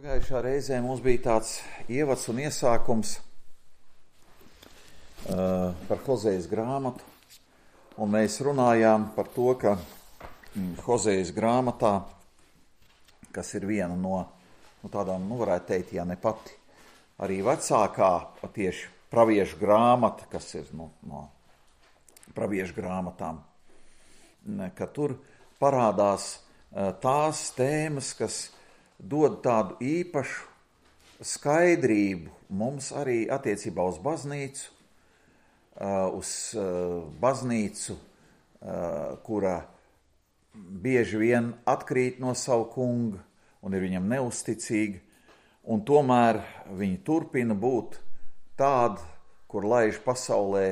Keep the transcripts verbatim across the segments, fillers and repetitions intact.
Pagājušā reizē mums bija tāds ievads un iesākums uh, par Hozejas grāmatu, un mēs runājām par to, ka mm, Hozejas grāmatā, kas ir viena no, no tādām, nu varētu teikt, ja ne pati, arī vecākā tieši praviešu grāmata, kas ir no, no praviešu grāmatām, ka tur parādās uh, tās tēmas, kas dod tādu īpašu skaidrību mums arī attiecībā uz baznīcu, uz baznīcu, kura bieži vien atkrīt no savu kunga un ir viņam neusticīga, un tomēr viņi turpina būt tādi, kur laiž pasaulē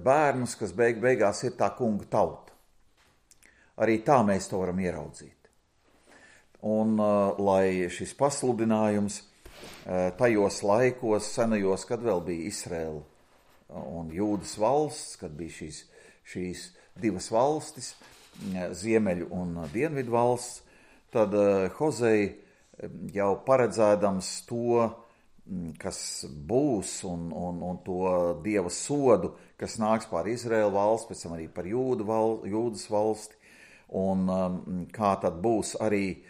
bērnus, kas beig beigās ir tā kunga tauta. Arī tā mēs to varam ieraudzīt. Un uh, lai šis pasludinājums uh, tajos laikos, senajos, kad vēl bija Izraela un Jūdas valsts, kad bija šīs, šīs divas valstis, ziemeļu un dienvidu valsts, tad uh, Hozei jau paredzēdams to, kas būs un, un, un to Dieva sodu, kas nāks pār Izraēlu valsts, pēc tam arī par Jūdu val, Jūdas valsti, un um, kā tad būs arī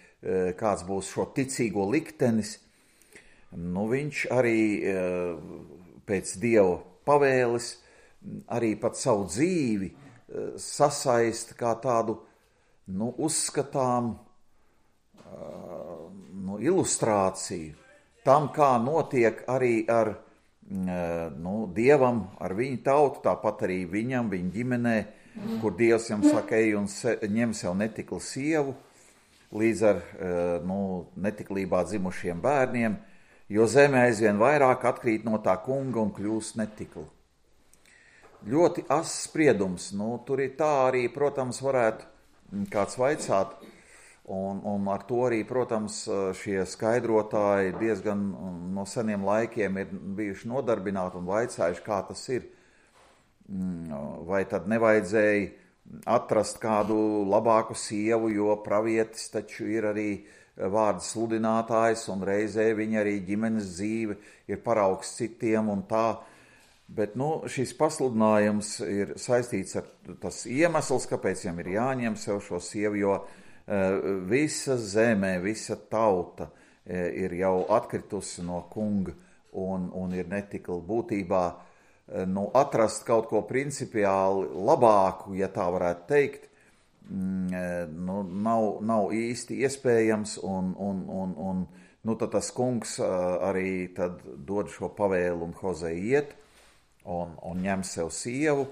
kāds būs šo ticīgo liktenis, nu viņš arī pēc Dieva pavēles arī pat savu dzīvi sasaista kā tādu, nu, uzskatām, nu, ilustrāciju tam, kā notiek arī ar, nu, Dievam, ar viņu tautu, tāpat arī viņam, viņa ģimenē, kur Dievs jam saka, ej un se, ņem sev netiklu sievu, līdz ar nu, netiklībā dzimušiem bērniem, jo zeme aizvien vairāk atkrīt no tā kunga un kļūst netikla. Ļoti ass spriedums, nu, tur ir tā arī, protams, varētu kāds vaicāt, un, un ar to arī, protams, šie skaidrotāji diezgan no seniem laikiem ir bijuši nodarbināti un vaicājuši, kā tas ir. Vai tad nevajadzēja atrast kādu labāku sievu, jo pravietis taču ir arī vārda sludinātājs un reizē viņa arī ģimenes dzīve ir paraugs citiem un tā. Bet, nu, šis pasludinājums ir saistīts ar tas iemesls, kāpēc viņam ir jāņem sev šo sievu, jo uh, visa zeme, visa tauta uh, ir jau atkritusi no kunga un, un ir netikla būtībā. Nu, atrast kaut ko principiāli labāku, ja tā varētu teikt, nu, nav, nav īsti iespējams, un, un, un, un nu, tad tas kungs arī tad dod šo pavēlu un Hozei iet un, un ņem sev sievu,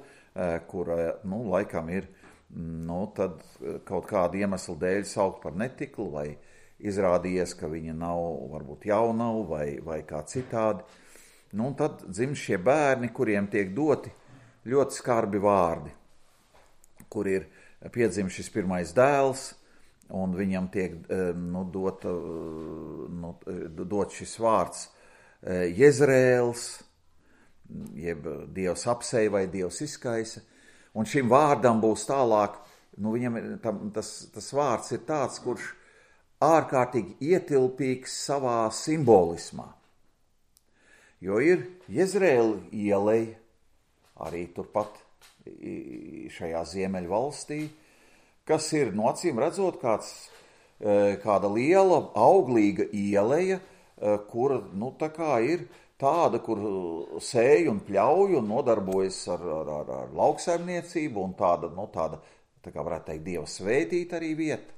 kura, nu, laikam ir, nu, tad kaut kādu iemeslu dēļ saukt par netiklu, vai izrādījies, ka viņa nav, varbūt jaunava, vai, vai kā citādi. Nu, un tad dzimst šie bērni, kuriem tiek doti ļoti skarbi vārdi, kur ir piedzimst šis pirmais dēls, un viņam tiek nu, dot, nu, dot šis vārds Jezreēls, jeb Dievs apseja vai Dievs izkaisa, un šim vārdam būs tālāk, nu, viņam tam, tas, tas vārds ir tāds, kurš ārkārtīgi ietilpīgs savā simbolismā. Jo ir Jezreēla ieleja, arī turpat šajā ziemeļu valstī, kas ir, no acīm redzot, kāds, kāda liela, auglīga ieleja, kura, nu, tā kā ir tāda, kur sēj un pļauj un nodarbojas ar, ar, ar, ar lauksaimniecību un tāda, nu, tāda, tā kā varētu teikt, Dieva svētīta arī vieta.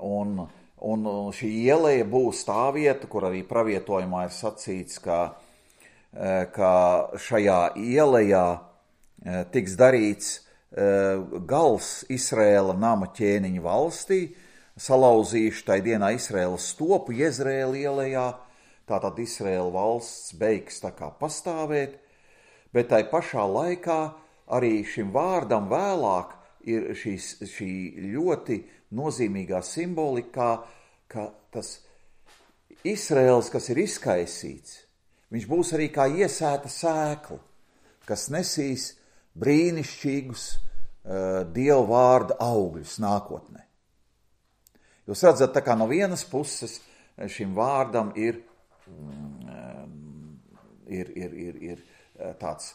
Un Un šī ieleja būs tā vieta, kur arī pravietojumā ir sacīts, ka, ka šajā ielejā tiks darīts gals Izraēla nama ķēniņa valstī, salauzīšu tai dienā Izraēlas stopu Jezreēla ielejā, tātad Izraēla valsts beigs tā kā pastāvēt, bet tai pašā laikā arī šim vārdam vēlāk ir šīs, šī ļoti nozīmīgā simbolikā, ka tas Izraēls, kas ir izkaisīts, viņš būs arī kā iesēta sēkla, kas nesīs brīnišķīgus uh, Dieva vārda augļus nākotnē. Jūs redzat, tā kā no vienas puses šim vārdam ir, ir, ir, ir, ir tāds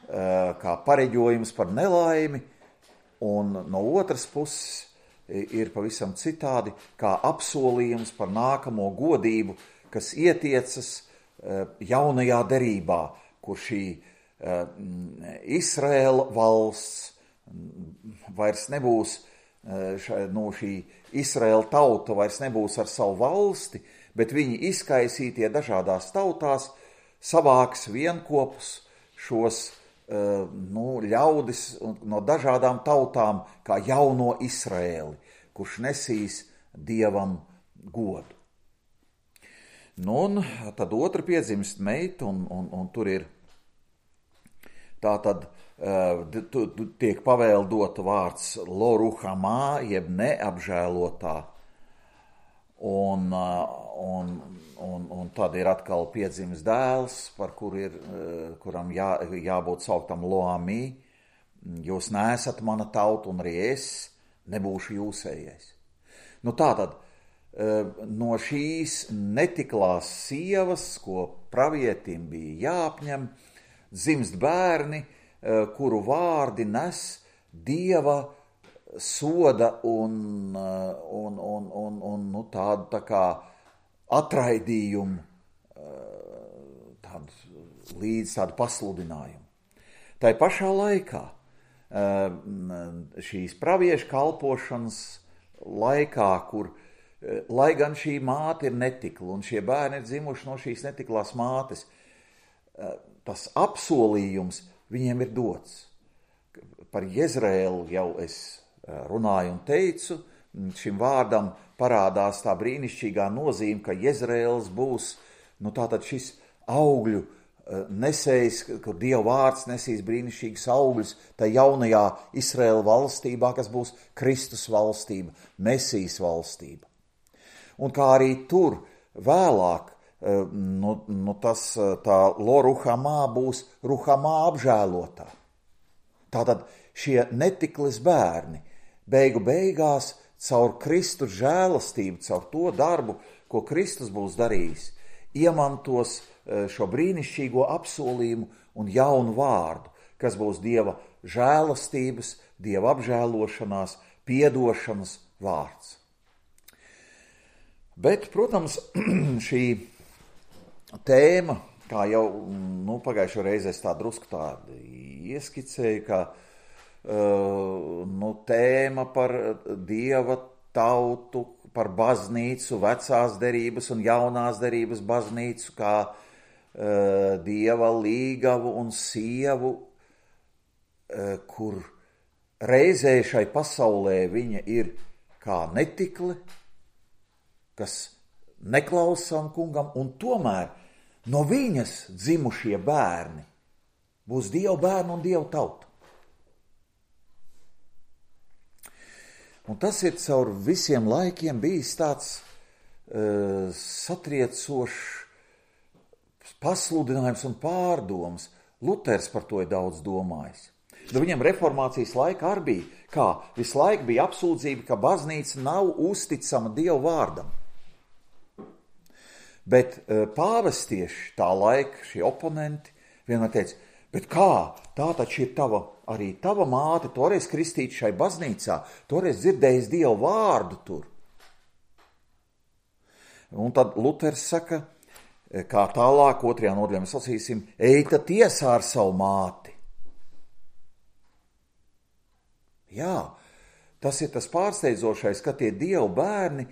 kā pareģojums par nelaimi, un no otras puses ir pavisam citādi kā apsolījums par nākamo godību, kas ietiecas jaunajā derībā, kur šī Izraēla valsts vairs nebūs, no šī Izraēla tauta vairs nebūs ar savu valsti, bet viņi izkaisītie dažādās tautās savāks vienkopus šos nu, ļaudis no dažādām tautām kā jauno Izraēli, kurš nesīs Dievam godu. Nu, un tad otra piedzimst meita, un, un, un tur ir tā tad uh, tiek pavēldota vārds Loruhamā, jeb neapžēlotā, un, uh, un, un, un tad ir atkal piedzimis dēls, par kur ir, uh, kuram jā, jābūt sauktam Loamī. Jūs neesat mana tauta, un arī es nebūšu jūsējais. Nu tātad, no šīs netiklās sievas, ko pravietim bija jāapņem, dzimst bērni, kuru vārdi nes Dieva soda un, un, un, un, un nu, tādu tā kā atraidījumu, tādu, līdz tādu pasludinājumu. Tai pašā laikā šīs praviešu kalpošanas laikā, kur lai gan šī māte ir netikla un šie bērni ir dzimuši no šīs netiklās mātes, tas apsolījums viņiem ir dots. Par Jezreēlu jau es runāju un teicu, šim vārdam parādās tā brīnišķīgā nozīme, ka Jezreēls būs, nu tātad šis augļu nesējs, kur Dieva vārds nesīs brīnišķīgas augļus, tā jaunajā Izraēla valstībā, kas būs Kristus valstība, Mesijas valstība. Un kā arī tur vēlāk, nu, nu tas, tā Loruhamā būs Ruhamā apžēlotā. Tātad šie netiklis bērni beigu beigās caur Kristus žēlastību, caur to darbu, ko Kristus būs darījis, iemantos šo brīnišķīgo apsolījumu un jaunu vārdu, kas būs Dieva žēlastības, Dieva apžēlošanās, piedošanas vārds. Bet, protams, šī tēma, kā jau nu, pagājušo reizi es tā drusku tādu ieskicēju, ka uh, nu, tēma par Dieva tautu, par baznīcu, vecās derības un jaunās derības baznīcu, kā uh, Dieva līgavu un sievu, uh, kur reizē šai pasaulē viņa ir kā netikle, kas neklausām kungam, un tomēr no viņas dzimušie bērni būs Dieva bērni un Dieva tauta. Un tas ir caur visiem laikiem bijis tāds uh, satriecošs pasludinājums un pārdoms. Luters par to ir daudz domājis. Nu, viņam reformācijas laika arī bija, kā visu laiku bija apsūdzība, ka baznīca nav uzticama Dieva vārdam. Bet pāvestieši tā laika, šie oponenti, vienmēr teica, bet kā, tā taču ir tava, arī tava māte, toreiz kristīta šai baznīcā, toreiz dzirdējis Dieva vārdu tur. Un tad Luters saka, kā tālāk, otrajā nodaļā mēs lasīsim, eita tiesā ar savu māti. Jā, tas ir tas pārsteidzošais, ka tie Dieva bērni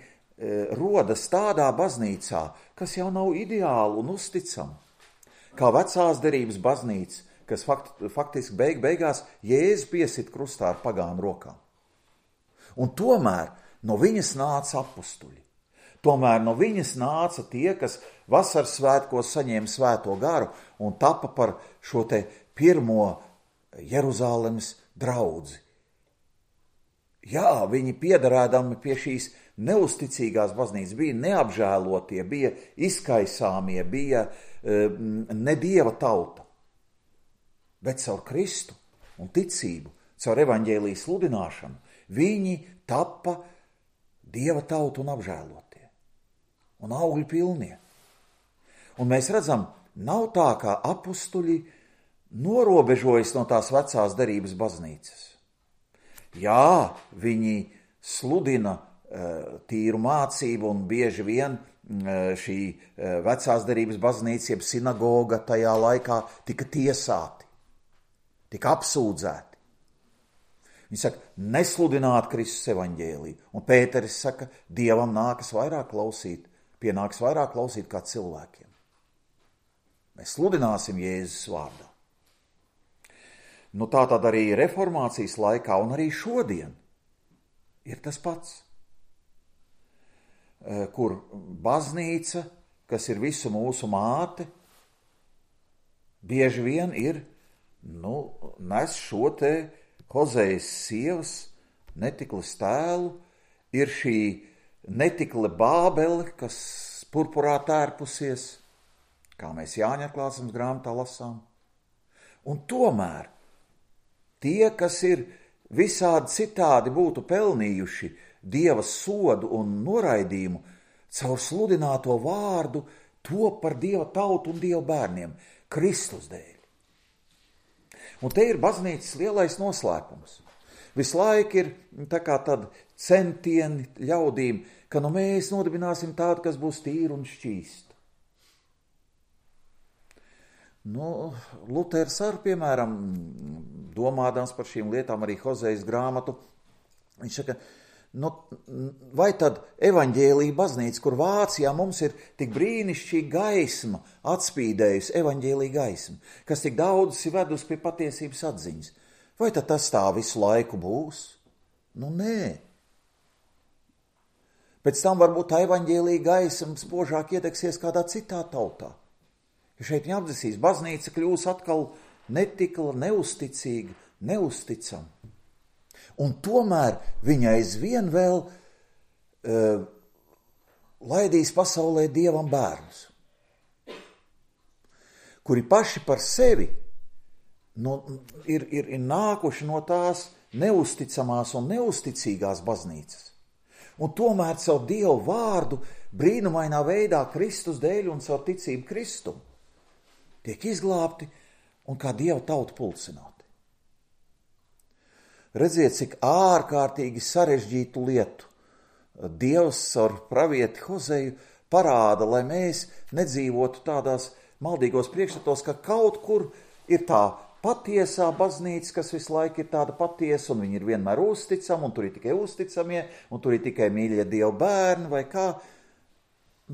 rodas tādā baznīcā, kas jau nav ideāli un uzticama. Kā vecās derības baznīca, kas fakt, faktiski beig beigās Jēzu piesit krustā ar pagānu rokām. Un tomēr no viņas nāca apustuļi. Tomēr no viņas nāca tie, kas vasaras svētkos saņēma svēto garu un tapa par šo te pirmo Jeruzālemes draudzi. Jā, viņi piederēdami pie šīs neusticīgās baznīcas, bija neapžēlotie, bija izkaisāmie, bija uh, ne Dieva tauta. Bet caur Kristu un ticību, caur evaņģēlijas sludināšanu, viņi tapa Dieva tauta un apžēlotie. un augļu pilnie. Un mēs redzam, nav tā, kā apustuļi norobežojas no tās vecās derības baznīcas. Jā, viņi sludina tīru mācību, un bieži vien šī vecās derības baznīca, jeb sinagoga tajā laikā tika tiesāti, tika apsūdzēti. Viņi saka, nesludināt Kristus evaņģēliju. Un Pēteris saka, Dievam nākas vairāk klausīt, pienāks vairāk klausīt kā cilvēkiem. Mēs sludināsim Jēzus vārdā. Nu tā tad arī reformācijas laikā un arī šodien ir tas pats. Kur baznīca, kas ir visu mūsu māte, bieži vien ir, nu, nes šo te Hozejas sievas netikles tēlu, ir šī netikle Bābele, kas purpurā tērpusies, kā mēs Jāņa atklāsmes grāmatā lasām. Un tomēr tie, kas ir visādi citādi būtu pelnījuši Dieva sodu un noraidījumu, caur sludināto vārdu top par Dieva tautu un Dieva bērniem, Kristus dēļ. Un te ir baznīcas lielais noslēpums. Visu laiku ir tā kā tad centieni ļaudīm, ka nu mēs nodibināsim tādu, kas būs tīru un šķīstu. Nu, Luters ar, piemēram, domādams par šīm lietām, arī Hozejas grāmatu, viņš saka, nu, vai tad evaņģēlija baznīca, kur Vācijā mums ir tik brīnišķīga gaisma, atspīdējusi evaņģēlija gaisma, kas tik daudz ir vedusi pie patiesības atziņas, vai tad tas tā visu laiku būs? Nu, nē. Pēc tam varbūt tā evaņģēlija gaisma spožāk iedegsies kādā citā tautā. Ja šeit viņa apdzisīs, baznīca kļūs atkal netikla, neusticīga, neusticama. Un tomēr viņa aizvien vēl uh, laidīs pasaulē Dievam bērnus, kuri paši par sevi nu, ir, ir, ir nākuši no tās neusticamās un neusticīgās baznīcas. Un tomēr caur Dievu vārdu brīnumainā veidā Kristus dēļ un caur ticību Kristum tiek izglābti un kā Dieva tauta pulcināti. Redziet, cik ārkārtīgi sarežģītu lietu Dievs ar pravieti Hozeju parāda, lai mēs nedzīvotu tādās maldīgos priekšstatos, ka kaut kur ir tā patiesā baznīca, kas visu laiku ir tāda patiesa, un viņi ir vienmēr uzticami, un tur ir tikai uzticamie, un tur ir tikai mīļie Dieva bērni, vai kā.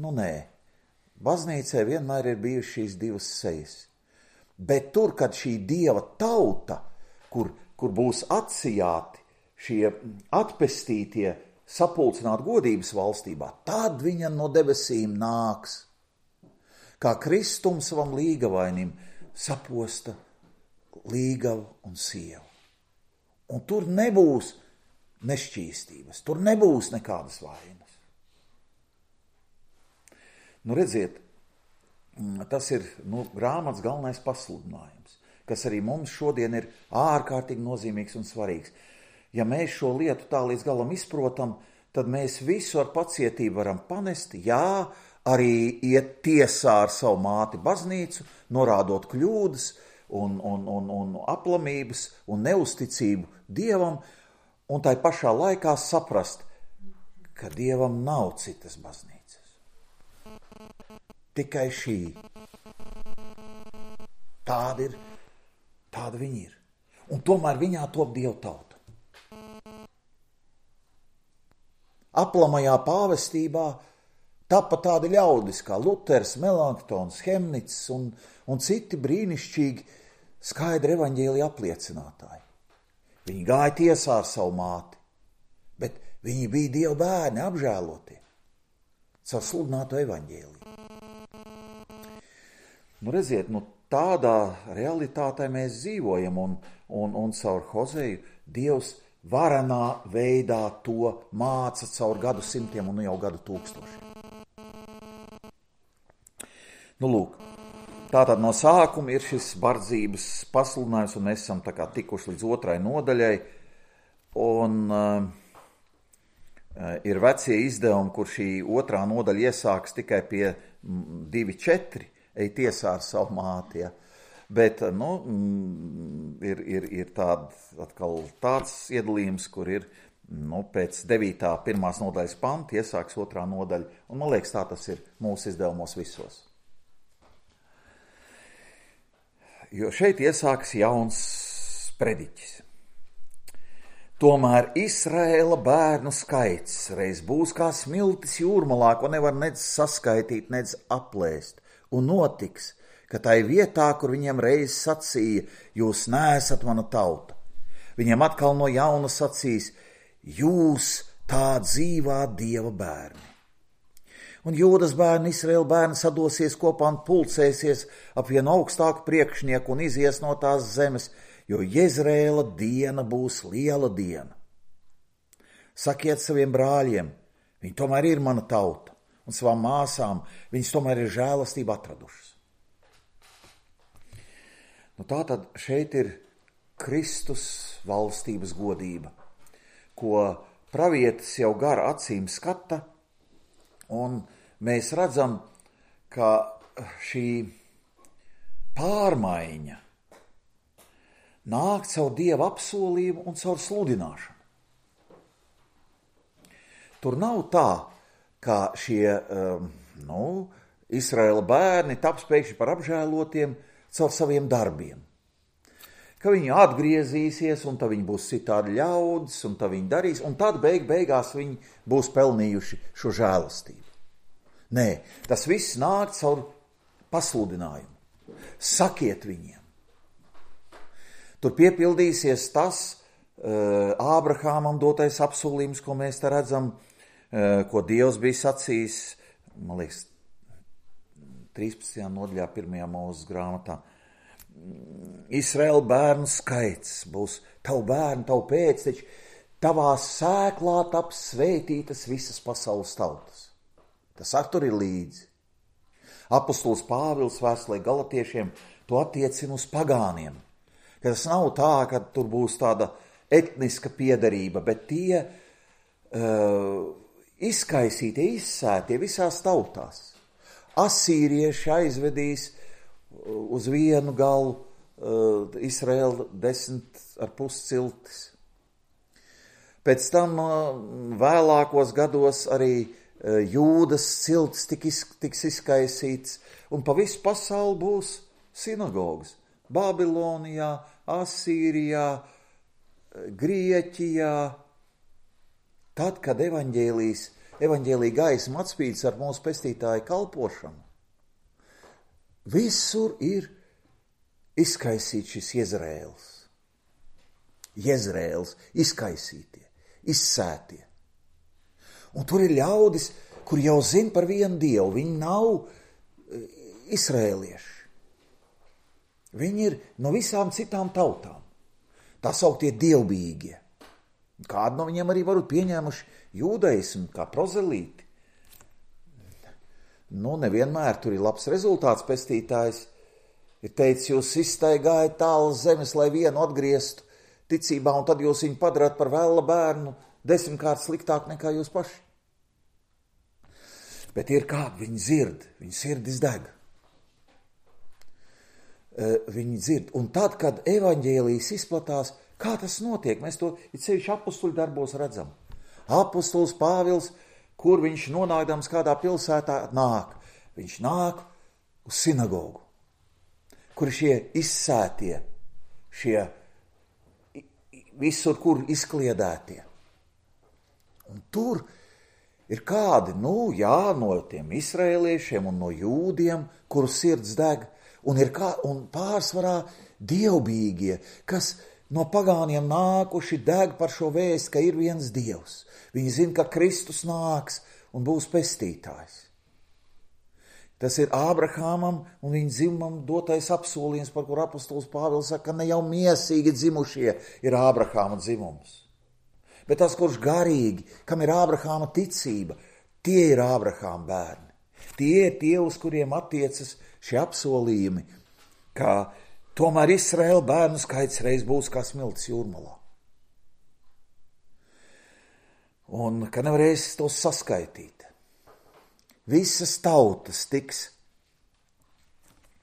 Nu, nē. Baznīcē vienmēr ir bijušas šīs divas sejas. Bet tur, kad šī Dieva tauta, kur kur būs atsijāti šie atpestītie, sapulcināti godības valstībā, tad viņa no debesīm nāks, kā Kristum savam līgavainim saposta līgavu un sievu. Un tur nebūs nešķīstības, tur nebūs nekādas vainas. Nu, redziet, tas ir nu, grāmatas galvenais pasludinājums, kas arī mums šodien ir ārkārtīgi nozīmīgs un svarīgs. Ja mēs šo lietu tā līdz galam izprotam, tad mēs visu ar pacietību varam panest, jā, arī iet tiesā ar savu māti baznīcu, norādot kļūdas un, un, un, un aplamības un neusticību Dievam, un tai pašā laikā saprast, ka Dievam nav citas baznīcas. Tikai šī. Tāda ir. Tāda viņa ir. Un tomēr viņā top Dieva tauta. Aplamajā pāvestībā tapa tādi ļaudis kā Luters, Melanktons, Hemnits un, un citi brīnišķīgi skaidri evaņģēlija apliecinātāji. Viņi gāja tiesā ar savu māti, bet viņi bija Dieva bērni apžēlotie caur sludināto evaņģēliju. Nu, redziet, nu, tādā realitātē mēs dzīvojam, un, un, un caur Hozeju Dievs varenā veidā to māca caur gadu simtiem un jau gadu tūkstošiem. Nu, lūk, tātad no sākuma ir šis bardzības pasludinājums, un mēs esam tā kā tikuši līdz otrai nodaļai, un, Ir vecie izdevumi, kur šī otrā nodaļa iesāks tikai pie divi četri, ej tiesā ar savu māti, ja. Bet, nu, ir, ir, ir tād, atkal tāds iedalījums, kur ir, nu, pēc devītā pirmās nodaļas panta iesāks otrā nodaļa, un man liekas, tā tas ir mūsu izdevumos visos. Jo šeit iesāks jauns prediķis. Tomēr Izraēla bērnu skaits reiz būs kā smiltis jūrmalā, ko nevar nec saskaitīt, nec aplēst, un notiks, ka tai vietā, kur viņiem reiz sacīja, jūs neesat mana tauta, viņiem atkal no jauna sacīs, jūs tā dzīvā Dieva bērni. Un Jūdas bērni, Izraēla bērni sadosies kopā un pulcēsies ap vienu augstāku priekšnieku un izies no tās zemes, jo Jezreēla diena būs liela diena. Sakiet saviem brāļiem, viņi tomēr ir mana tauta, un savām māsām viņas tomēr ir žēlastība atradušas. Nu, tātad šeit ir Kristus valstības godība, ko pravietis jau gar acīm skata, un mēs redzam, ka šī pārmaiņa nāk caur Dieva apsolījumu un caur sludināšanu. Tur nav tā, ka šie nu, Izraēla bērni taps pēkšņi par apžēlotiem caur saviem darbiem. Ka viņi atgriezīsies, un tad viņi būs citādi ļaudis, un tad viņi darīs, un tad beig beigās viņi būs pelnījuši šo žēlastību. Nē, tas viss nāk caur pasludinājumu. Sakiet viņiem. Tur piepildīsies tas uh, Ābrahāmam dotais apsolījums, ko mēs te redzam, uh, ko Dievs bija sacījis, man liekas, trīspadsmitajā nodaļā pirmajā Mūzes grāmatā. Izraēla bērnu skaits būs tavu bērnu, tavu pēcteči, tavā sēklā taps svētītas visas pasaules tautas. Tas ar tur ir līdzi. Apostols Pāvils vēstulē Galatiešiem to attiecina uz pagāniem. Ka tas nav tā, ka tur būs tāda etniska piederība, bet tie uh, izkaisītie, izsētie visās tautās. Asīrieši aizvedīs uz vienu galu uh, Izraēla desmit ar pus ciltis. Pēc tam uh, vēlākos gados arī uh, Jūdas ciltis tik iz, tiks izkaisīts, un pa visu pasauli būs sinagogas. Babilonijā, Asīrijā, Grieķijā. Tad, kad evaņģēlijas, evaņģēlija gaisma atspīdis ar mūsu pestītāju kalpošanu, visur ir izkaisīts šis Jezreēls. Jezreēls, izkaisītie, izsētie. Un tur ir ļaudis, kur jau zina par vienu Dievu. Viņi nav izraēlieši. Viņi ir no visām citām tautām. Tā sauktie dievbijīgie. Kādi no viņiem arī varu pieņēmuši jūdaismu, kā prozelīti. Nu, nevienmēr tur ir labs rezultāts. Pestītājs ir teicis, jūs izstaigājat tālu zemes, lai vienu atgrieztu ticībā, un tad jūs viņu padarāt par vēla bērnu desmitkārt sliktāk nekā jūs paši. Bet ir kādi, viņi dzird, viņi sirdis deg. Viņi dzird. Un tad, kad evaņģēlijas izplatās, kā tas notiek? Mēs to it sevišķi apostuļu darbos redzam. Apostols Pāvils, kur viņš nonākdams kādā pilsētā nāk? Viņš nāk uz sinagogu, kur šie izsētie, šie visur, kur izkliedētie. Un tur ir kādi, nu jā, no tiem izraēliešiem un no jūdiem, kuru sirds deg, un ir kā, un pārsvarā dievbijīgie, kas no pagāniem nākuši deg par šo vēstu, ka ir viens Dievs. Viņi zina, ka Kristus nāks un būs pestītājs. Tas ir Ābrahāmam un viņa dzimumam dotais apsolījums, par kur apostols Pāvils saka, ka ne jau miesīgi dzimušie ir Ābrahāma dzimums. Bet tas, kurš garīgi, kam ir Ābrahāma ticība, tie ir Ābrahāma bērni. Tie ir tie, uz kuriem attiecas šie apsolījumi, ka tomēr Izraēla bērnu skaits reiz būs kā smiltis jūrmalā. un ka nevarēs tos saskaitīt. Visas tautas tiks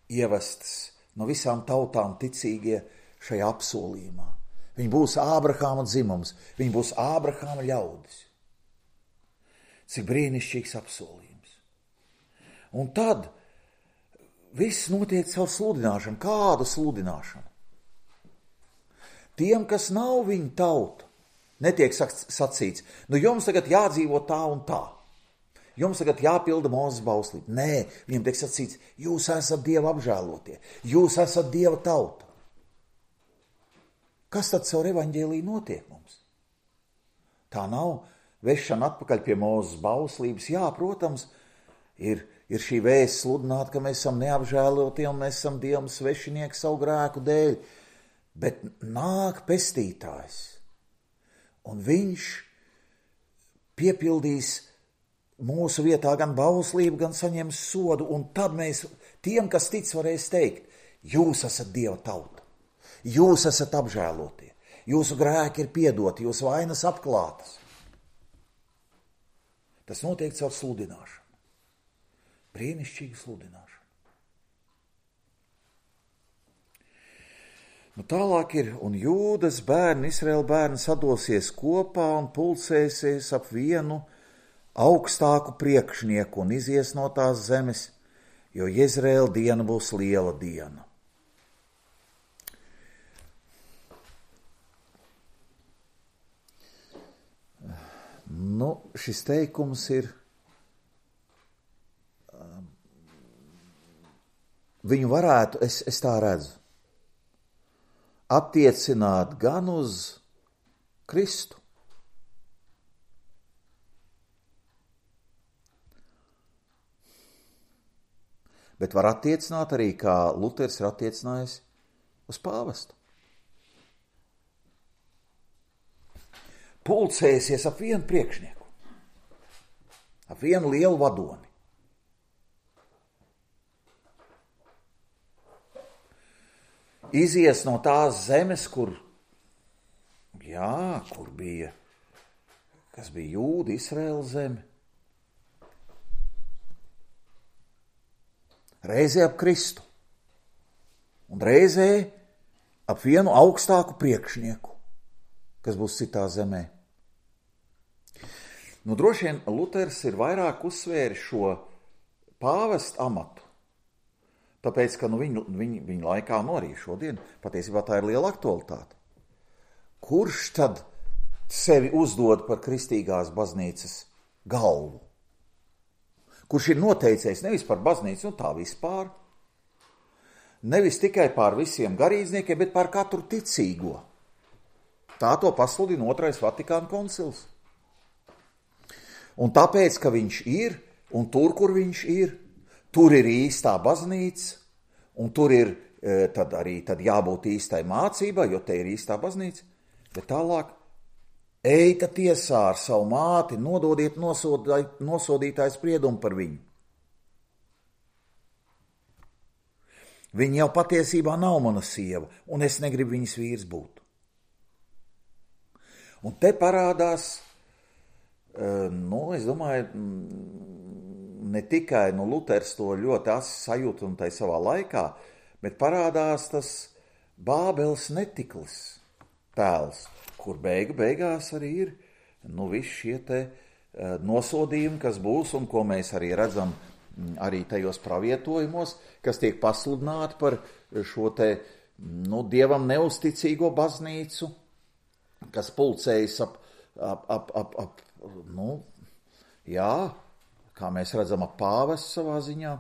ievestas, no visām tautām ticīgie šajā apsolījumā. Viņi būs Ābrahāma dzimums, viņi būs Ābrahāma ļaudis. Cik brīnišķīgs apsolījums. Un tad viss notiek caur sludināšanu. Kādu sludināšanu? Tiem, kas nav viņa tauta, netiek sacīts, nu jums tagad jādzīvo tā un tā. Jums tagad jāpilda Mūzes bauslība. Nē, viņiem tiek sacīts, jūs esat Dieva apžēlotie, jūs esat Dieva tauta. Kas tad caur evaņģēliju notiek mums? Tā nav vešana atpakaļ pie Mūzes bauslības. Jā, protams, ir, ir šī vēsts sludināt, ka mēs esam neapžēlotie un mēs esam Dievam svešinieki savu grēku dēļ. Bet nāk pestītājs, un viņš piepildīs mūsu vietā gan bauslību, gan saņems sodu, un tad mēs, tiem, kas tic, varēs teikt, jūs esat Dieva tauta, jūs esat apžēlotie, jūsu grēki ir piedoti, jūsu vainas apklātas. Tas notiek caur sludināšanu. Brīnišķīga sludināšana. Nu, tālāk ir, un Jūdas bērni, Izraēla bērni sadosies kopā un pulcēsies ap vienu augstāku priekšnieku un izies no tās zemes, jo Jezreēla diena būs liela diena. Nu, šis teikums ir, viņu varētu, es, es tā redzu, attiecināt gan uz Kristu, bet var attiecināt arī, kā Luters ir attiecinājis uz pāvestu. Pulcēsies ap vienu priekšnieku, ap vienu lielu vadoni. Izies no tās zemes, kur, jā, kur bija, kas bija Jūda, Izraēla zeme. Reizē ap Kristu un reizē ap vienu augstāku priekšnieku, kas būs citā zemē. Nu, droši vien Luters ir vairāk uzsvēris šo pāvestu amatu, tāpēc, ka nu, viņu, viņu, viņu laikā, nu arī šodien, patiesībā tā ir liela aktualitāte. Kurš tad sevi uzdod par kristīgās baznīcas galvu? Kurš ir noteicējis nevis par baznīcu, nu tā vispār, nevis tikai par visiem garīdzniekiem, bet par katru ticīgo. Tā to pasludina Otrais Vatikāna koncils. Un tāpēc, ka viņš ir, un tur, kur viņš ir, tur ir īstā baznīca, un tur ir tad arī tad jābūt īstai mācībai, jo te ir īstā baznīca, bet tālāk eita tiesā ar savu māti, nododiet nosodītāju spriedumu par viņu. Viņa jau patiesībā nav mana sieva, un es negribu viņas vīrs būt. Un te parādās, nu, es domāju, ne tikai nu, Luters to ļoti asi sajūta un tai savā laikā, bet parādās tas Bābeles netiklis tēls, kur beigu beigās arī ir nu, visi šie te nosodījumi, kas būs un ko mēs arī redzam arī tajos pravietojumos, kas tiek pasludināti par šo te nu, Dievam neusticīgo baznīcu, kas pulcējas ap, ap, ap, ap, ap nu, jā, kā mēs redzam, ap pāvestu savā ziņā,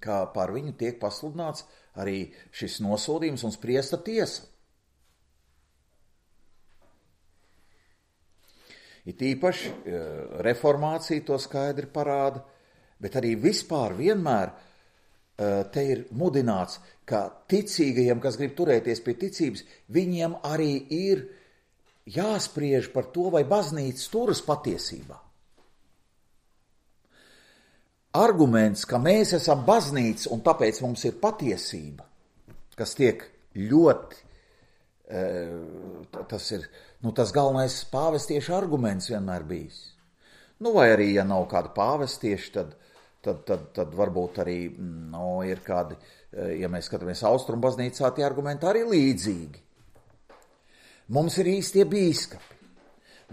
kā par viņu tiek pasludināts arī šis nosodījums un spriesta tiesa. It īpaši reformācija to skaidri parāda, bet arī vispār vienmēr te ir mudināts, ka ticīgajiem, kas grib turēties pie ticības, viņiem arī ir jāspriež par to, vai baznīca turas patiesībā. Arguments, ka mēs esam baznīca un tāpēc mums ir patiesība, kas tiek ļoti tas ir, nu, tas galvenais pāvestieša arguments vienmēr bijis. Nu, vai arī, ja nav kāda pāvestieša, tad, tad, tad, tad varbūt arī, nu, ir kādi, ja mēs skatāmies Austrumu baznīcā, tie argumenti arī līdzīgi. Mums ir īstie bīskapi.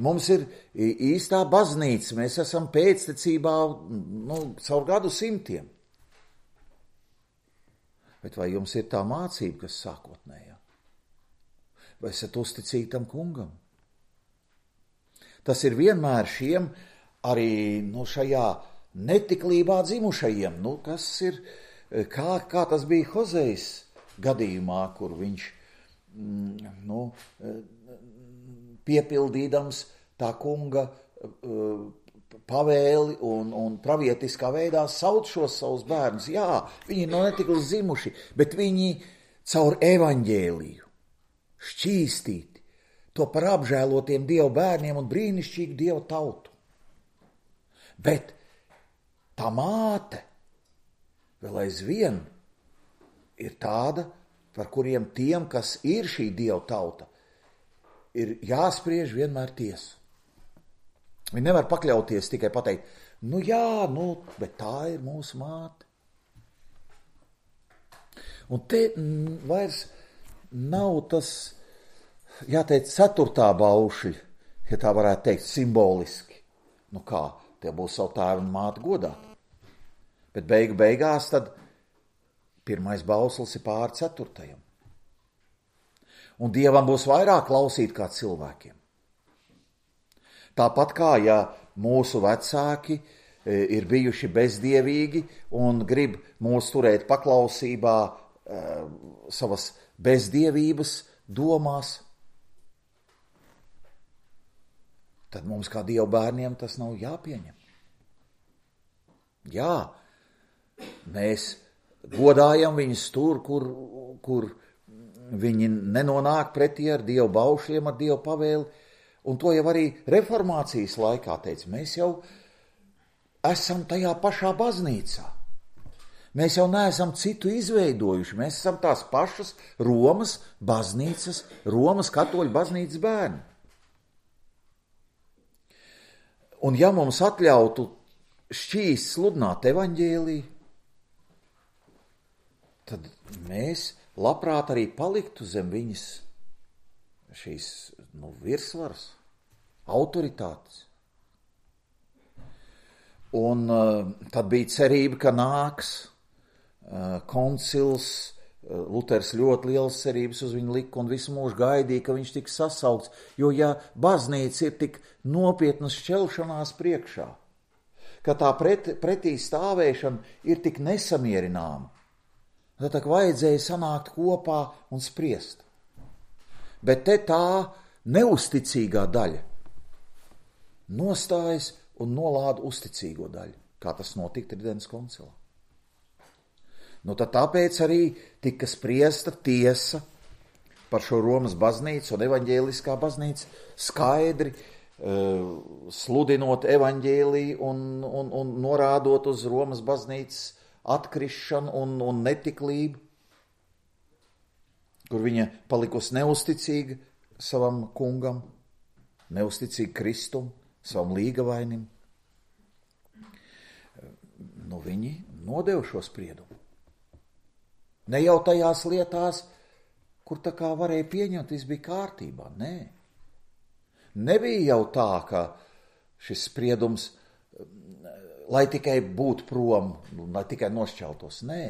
Mums ir īstā baznīca, mēs esam pēctecībā, nu, caur gadu simtiem. Bet vai jums ir tā mācība, kas sākotnējā? Vai esat uzticīgi tam kungam? Tas ir vienmēr šiem arī, nu, šajā netiklībā dzimušajiem, nu, kas ir, kā, kā tas bija Hozejas gadījumā, kur viņš, nu, piepildīdams tā kunga uh, pavēli un, un pravietiskā veidā sauc šos savus bērnus. Jā, viņi nav netikli zimuši, bet viņi caur evaņģēliju šķīstīti to par apžēlotiem Dieva bērniem un brīnišķīgu Dieva tautu. Bet tā māte vēl aizvien ir tāda, par kuriem tiem, kas ir šī Dieva tauta, ir jāspriež vienmēr tiesu. Viņi nevar pakļauties tikai pateikt, nu jā, nu, bet tā ir mūsu māte. Un te m, vairs nav tas, jāteic, ceturtā baušļa, ja tā varētu teikt, simboliski. Nu kā, tie būs savu tēvu un māti godāt. Bet beigu beigās tad pirmais bauslis ir pāri ceturtajam. Un Dievam būs vairāk klausīt kā cilvēkiem. Tāpat kā, ja mūsu vecāki ir bijuši bezdievīgi un grib mūs turēt paklausībā e, savas bezdievības domās, tad mums kā Dieva bērniem tas nav jāpieņem. Jā, mēs godājam viņus tur, kur, kur viņi nenonāk pretī ar Dieva baušļiem, ar Dieva pavēli, un to jau arī reformācijas laikā teica, mēs jau esam tajā pašā baznīcā. Mēs jau neesam citu izveidojuši, mēs esam tās pašas Romas baznīcas, Romas katoļu baznīcas bērni. Un ja mums atļautu šķīst sludināt evaņģēliju, tad mēs labprāt arī paliktu zem viņas šīs, nu, virsvaras, autoritātes. Un uh, tad bija cerība, ka nāks uh, koncils, uh, Luters ļoti liels cerības uz viņu lika un visu mūžu gaidīja, ka viņš tiks sasaukts, jo ja baznīca ir tik nopietnas šķelšanās priekšā, ka tā pret, pretī stāvēšana ir tik nesamierināma, tad tā vajadzēja sanākt kopā un spriest. Bet te tā neusticīgā daļa nostājas un nolāda uzticīgo daļu, kā tas notika Tridentes koncilā. Nu tad tāpēc arī tika spriesta tiesa par šo Romas baznīcu un evaņģēliskā baznīca skaidri uh, sludinot evaņģēliju un, un, un norādot uz Romas baznīcas atkrišanu un, un netiklību, kur viņa palikusi neusticīga savam kungam, neusticīga Kristum, savam līgavainim. Nu, viņi nodeva šo spriedumu. Ne jau tajās lietās, kur tā kā varēja pieņemt, viss bija kārtībā, nē. Nebija jau tā, ka šis spriedums, lai tikai būtu prom, lai tikai nošķeltos, nē.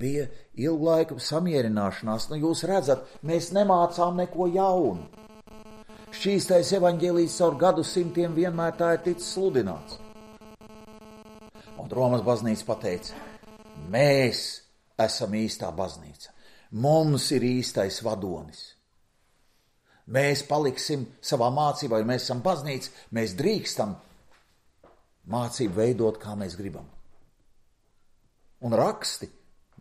Bija ilgu laiku samierināšanās, nu jūs redzat, mēs nemācām neko jaunu. Šķīstais evaņģēlijs caur gadu simtiem vienmēr tā ir ticis sludināts. Un Romas baznīca pateica, mēs esam īstā baznīca, mums ir īstais vadonis. Mēs paliksim savā mācībā, jo mēs esam baznīca, mēs drīkstam mācību veidot, kā mēs gribam. Un raksti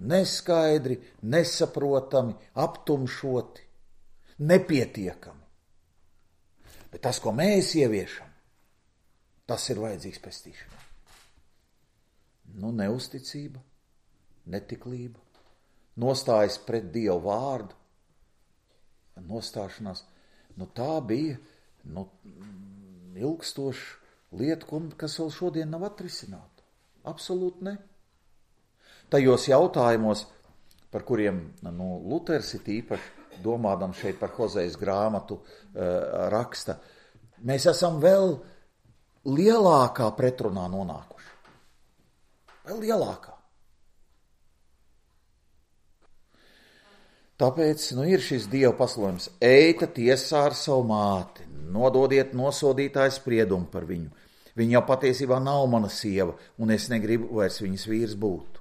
neskaidri, nesaprotami, aptumšoti, nepietiekami. Bet tas, ko mēs ieviešam, tas ir vajadzīgs pestīšanai. Nu, neusticība, netiklība, nostājas pret Dievu vārdu, nostāšanās, nu tā bija nu, ilgstoša lieta, kas vēl šodien nav atrisināta. Absolūti ne. Tajos jautājumos, par kuriem nu, Luters ir īpaši domādam šeit par Hozejas grāmatu uh, raksta, mēs esam vēl lielākā pretrunā nonākuši. Vēl lielākā. Tāpēc nu, ir šis Dieva pasludinājums. Eita tiesā ar savu māti, nododiet nosodītāju spriedumu par viņu. Viņa jau patiesībā nav mana sieva, un es negribu vairs viņas vīrs būt.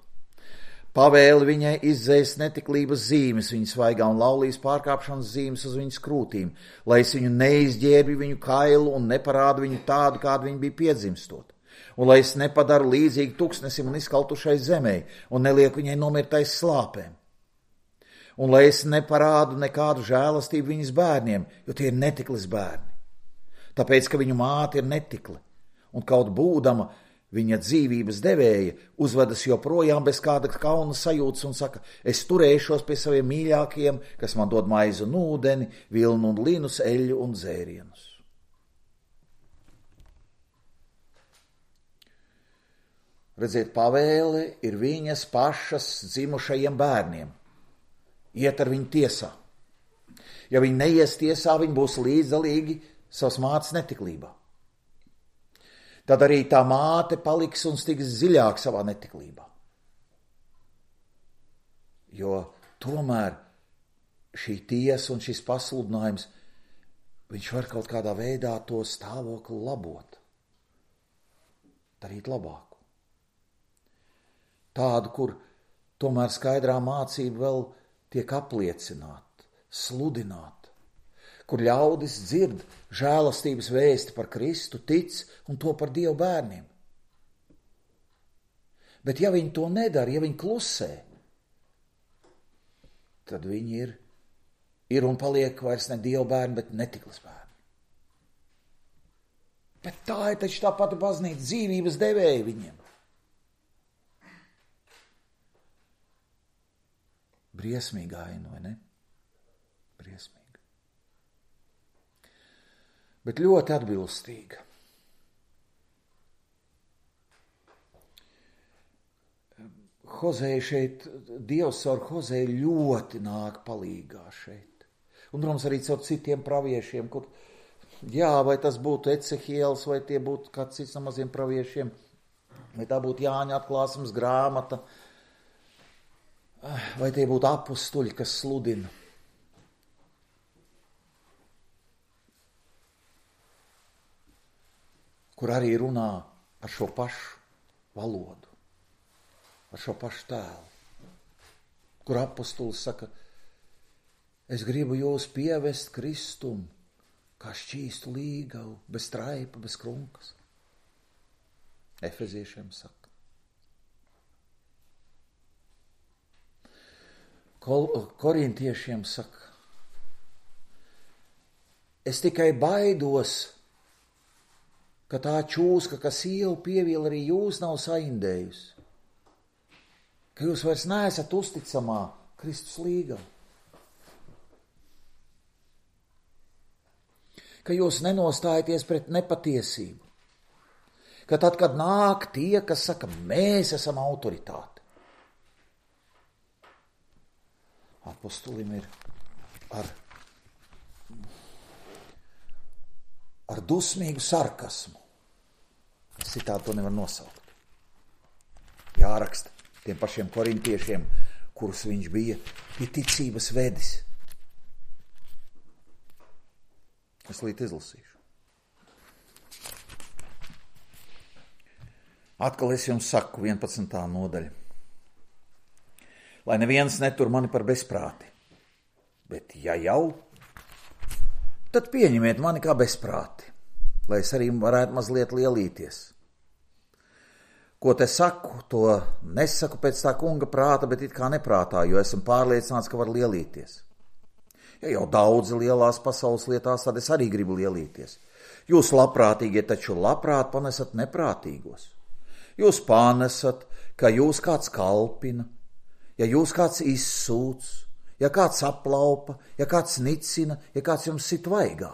Pavēli viņai izdzēst netiklības zīmes, viņas svaigā un laulības pārkāpšanas zīmes uz viņas krūtīm, lai es viņu neizģērbi viņu kailu un neparādu viņu tādu, kādu viņa bija piedzimstot. Un lai es nepadaru līdzīgi tuksnesim un izkaltušai zemē, un nelieku viņai nomirt aiz slāpēm. Un lai es neparādu nekādu žēlastību viņas bērniem, jo tie ir netiklis bērni. Tāpēc, ka viņu māte ir netikli, un kaut būdama viņa dzīvības devēja uzvedas joprojām bez kāda kauna sajūtas un saka, es turēšos pie saviem mīļākajiem, kas man dod maizu un ūdeni, vilnu un linus, eļļu un dzērienus. Redziet, pavēle ir viņas pašas dzimušajiem bērniem. Iet ar viņu tiesā. Ja viņi neies tiesā, viņi būs līdzdalīgi savas mātes netiklībā. Tad arī tā māte paliks un stiks dziļāk savā netiklībā. Jo tomēr šī tiesa un šis pasludinājums, viņš var kaut kādā veidā to stāvokli labot. Darīt labāku. Tādu, kur tomēr skaidrā mācība vēl tiek apliecināta, sludināta. Kur ļaudis dzird žēlastības vēsti par Kristu, tic un to par Dievu bērniem. Bet ja viņi to nedara, ja viņi klusē, tad viņi ir, ir un paliek vairs ne Dievu bērni, bet netiklis bērni. Bet tā ir taču tā pati baznīca, dzīvības devēja viņiem. Briesmīga aina, vai ne? Briesmīga. Bet ļoti atbilstīga. Hozeja šeit, Dievs caur Hozeju ļoti nāk palīgā šeit. Un, protams, arī caur citiem praviešiem, kur, jā, vai tas būtu Ecehiels, vai tie būtu kāds cits no maziem praviešiem, vai tā būtu Jāņa atklāsmes grāmata, vai tie būtu apustuļi, kas sludina. Kur arī runā ar šo pašu valodu, ar šo pašu tēlu. Kur apostulis saka, es gribu jūs pievest Kristum, kā šķīstu līgavu, bez traipa, bez krunkas. Efeziešiem saka. Kol, korintiešiem saka, es tikai baidos, ka tā čūska, kas ievu pieviel arī jūs nav saindējusi. Ka jūs vairs neesat uzticamā Kristus līgava. Ka jūs nenostājaties pret nepatiesību. Ka tad, kad nāk tie, kas saka, mēs esam autoritāte. Apostulim ir ar, ar dusmīgu sarkasmu. Es citādi to nevar nosaukt. Jāraksta tiem pašiem korintiešiem, kurus viņš bija pie ticības vedis. Es līdz izlasīšu. Atkal es jums saku, vienpadsmitā nodaļa. Lai neviens netur mani par bezprāti, bet ja jau, tad pieņemiet mani kā bezprāti, lai es arī varētu mazliet lielīties. Ko te saku, to nesaku pēc tā kunga prāta, bet it kā neprātā, jo esmu pārliecināts, ka var lielīties. Ja jau daudzi lielās pasaules lietās, tad es arī gribu lielīties. Jūs labprātīgie taču labprāt panesat neprātīgos. Jūs panesat, ka jūs kāds kalpina, ja jūs kāds izsūc, ja kāds aplaupa, ja kāds nicina, ja kāds jums sit vaigā.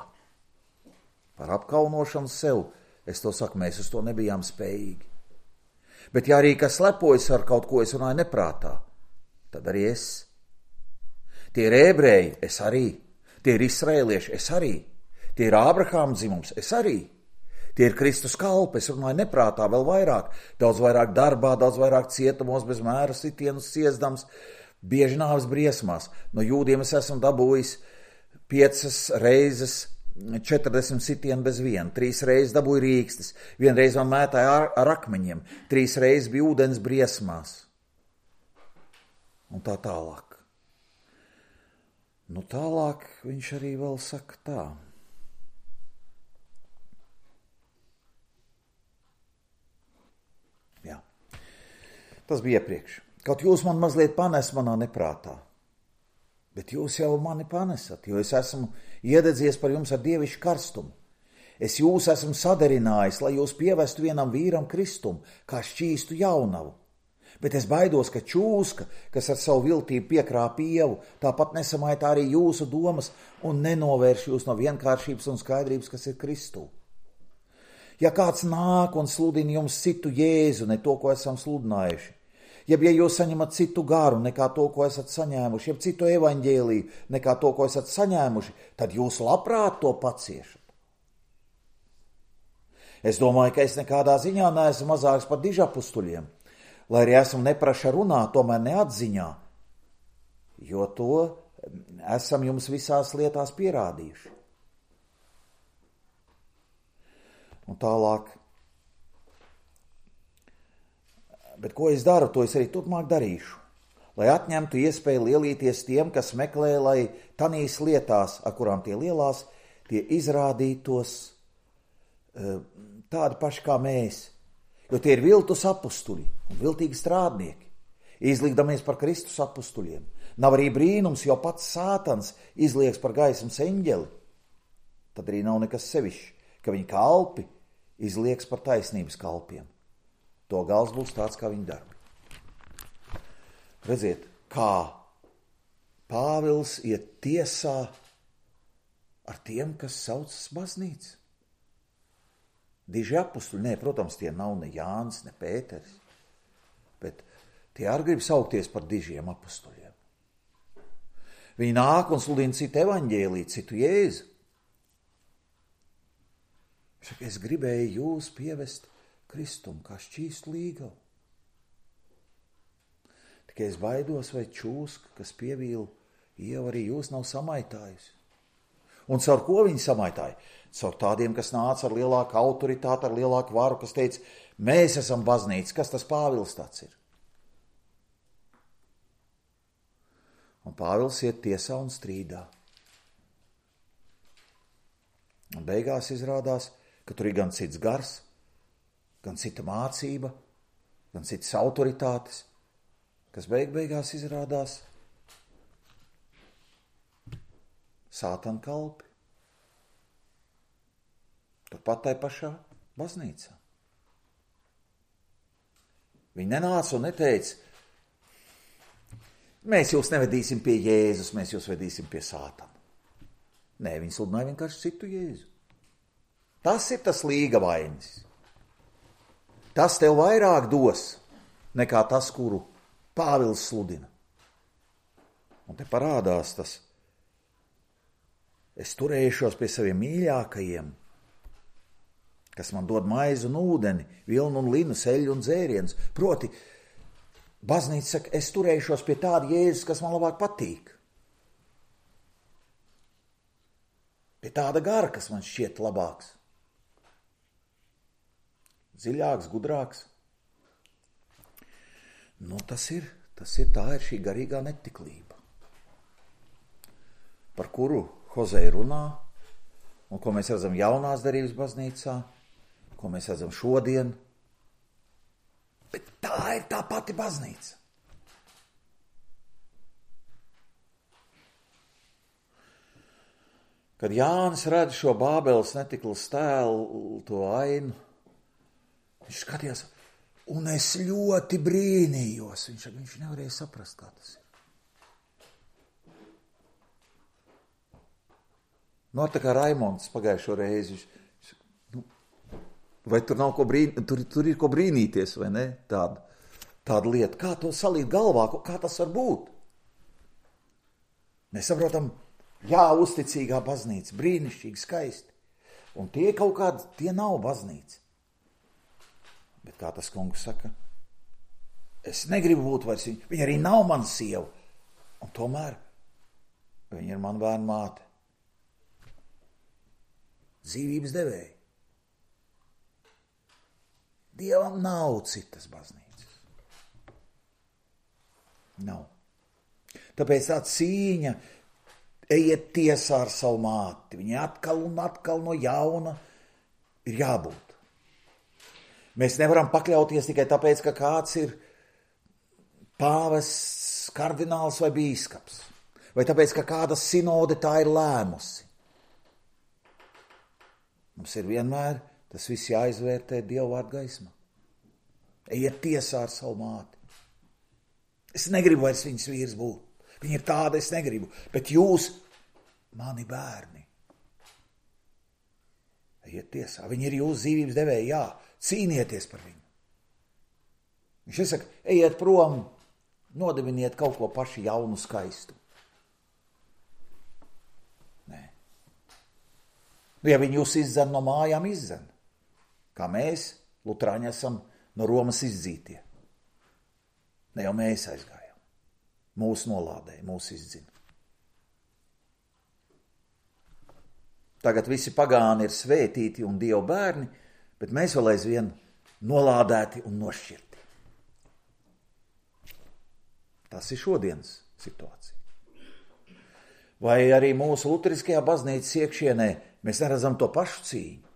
Par apkaunošanu sev, es to saku, mēs uz to nebijām spējīgi. Bet ja arī kas lepojas ar kaut ko, es runāju neprātā, tad arī es. Tie ir ebreji, es arī. Tie ir izraēlieši, es arī. Tie ir Ābrahāma dzimums, es arī. Tie ir Kristus kalpi, es runāju neprātā vēl vairāk. Daudz vairāk darbā, daudz vairāk cietumos, bez mēra sitienus siezdams, bieži nāves briesmās. No jūdiem es esmu dabūjis piecas reizes četrdesmit sitienu bez viena. Trīs reizes dabūju rīkstis. Vienreiz man mētāja ar, ar akmeņiem. Trīs reizes bija ūdens briesmās. Un tā tālāk. Nu tālāk viņš arī vēl saka tā. Jā. Tas bija iepriekš. Kaut jūs man mazliet panes manā neprātā. Bet jūs jau mani panesat, jo es esmu iededzies par jums ar dievišķu karstumu. Es jūs esmu sadarinājis, lai jūs pievestu vienam vīram kristumu, kā šķīstu jaunavu. Bet es baidos, ka čūska, kas ar savu viltību piekrāp ievu, tāpat nesamaitā arī jūsu domas un nenovērš jūs no vienkāršības un skaidrības, kas ir Kristū. Ja kāds nāk un sludina jums citu Jēzu, ne to, ko esam sludinājuši, jeb ja jūs saņemat citu garu nekā to, ko esat saņēmuši, jeb citu evaņģēliju nekā to, ko esat saņēmuši, tad jūs labprāt to paciešat. Es domāju, ka es nekādā ziņā neesmu mazāks par dižapustuļiem, lai arī esmu nepraša runāt, tomēr neatziņā, jo to esam jums visās lietās pierādījuši. Un tālāk. Bet ko es daru, to es arī turpmāk darīšu, lai atņemtu iespēju lielīties tiem, kas meklē, lai tanīs lietās, ar kurām tie lielās, tie izrādītos tādi paši kā mēs, jo tie ir viltus apustuļi un viltīgi strādnieki, izlikdamies par Kristus apustuļiem. Nav arī brīnums, jo pats Sātans izlieks par gaismas eņģeli, tad arī nav nekas sevišķi, ka viņa kalpi izlieks par taisnības kalpiem. To gals būs tāds, kā viņa darbi. Redziet, kā Pāvils iet tiesā ar tiem, kas saucas baznīca. Diži apustuļi, nē, protams, tie nav ne Jānis, ne Pēters, bet tie arī grib saukties par dižiem apustuļiem. Viņi nāk un sludina citu evaņģēliju, citu Jēzu. Es gribēju jūs pievest Kristumu kā šķīstu līgavu. Tikai es baidos, vai čūska, kas pievīla ievu, arī jūs nav samaitājusi. Un caur ko viņi samaitāja? Caur tādiem, kas nāca ar lielāku autoritāti, ar lielāku varu, kas teica, mēs esam baznīca, kas tas Pāvils tāds ir? Un Pāvils iet tiesā un strīdā. Un beigās izrādās, ka tur ir gan cits gars, gan cita mācība, gan citas autoritātes, kas beig beigās izrādās Sātana kalpi. Turpat tai pašā baznīcā. Viņi nenāca un neteica, mēs jūs nevedīsim pie Jēzus, mēs jūs vedīsim pie Sātana. Nē, viņi sludināja vienkārši citu Jēzu. Tas ir tas līga vainis. Tas tev vairāk dos, nekā tas, kuru Pāvils sludina. Un te parādās tas, es turēšos pie saviem mīļākajiem, kas man dod maizi un ūdeni, vilnu un linu, seļu un dzērienus. Proti, baznīca saka, es turēšos pie tāda Jēzus, kas man labāk patīk. Pie tāda gara, kas man šķiet labāks. Dziļāks, gudrāks. Nu, tas ir, tas ir, tā ir šī garīgā netiklība, par kuru Hozei runā, un ko mēs redzam jaunās derības baznīcā, ko mēs redzam šodien. Bet tā ir tā pati baznīca. Kad Jānis redz šo Bābeles netiklas tēlu, to ainu, viņš skatījās, un es ļoti brīnījos. Viņš, viņš nevarēja saprast, kā tas ir. Nu, tā kā Raimonds pagājušo reizi. Nu, vai tur nav ko brīn... tur, tur ir ko brīnīties, vai ne? Tāda, tāda lieta. Kā to salīt galvā? Kā tas var būt? Mēs saprotam, jā, uzticīgā baznīca, brīnišķīgi, skaisti. Un tie kaut kādi, tie nav baznīca. Bet kā tas kungs saka, es negribu būt vairs viņa, viņa arī nav mana sieva. Un tomēr viņa ir mana bērna māte. Dzīvības devēja. Dievam nav citas baznīcas. Nav. Tāpēc tā cīņa, ejiet tiesā ar savu māti. Viņa atkal un atkal no jauna ir jābūt. Mēs nevaram pakļauties tikai tāpēc, ka kāds ir pāvests, kardināls vai bīskaps. Vai tāpēc, ka kāda sinode tā ir lēmusi. Mums ir vienmēr tas viss jāizvērtē Dieva vārda gaismā. Ejiet tiesā ar savu māti. Es negribu vairs viņas vīrs būt. Viņa ir tāda, es negribu. Bet jūs, mani bērni, ejiet tiesā. Viņa ir jūsu dzīvības devēja, jā. Cīnieties par viņu. Viņš iesaka, ejiet prom, nodeviniet kaut ko paši jaunu, skaistu. Nē. Nu, ja viņi jūs izdzen no mājām, izdzen. Kā mēs, lutrāņi, esam no Romas izdzītie. Ne jau mēs aizgājām. Mūsu nolādēja, mūsu izdzina. Tagad visi pagāni ir svētīti un Dieva bērni, bet mēs vēl aizvien nolādēti un nošķirti. Tas ir šodienas situācija. Vai arī mūsu luteriskajā baznīcas iekšienē mēs neredzam to pašu cīņu?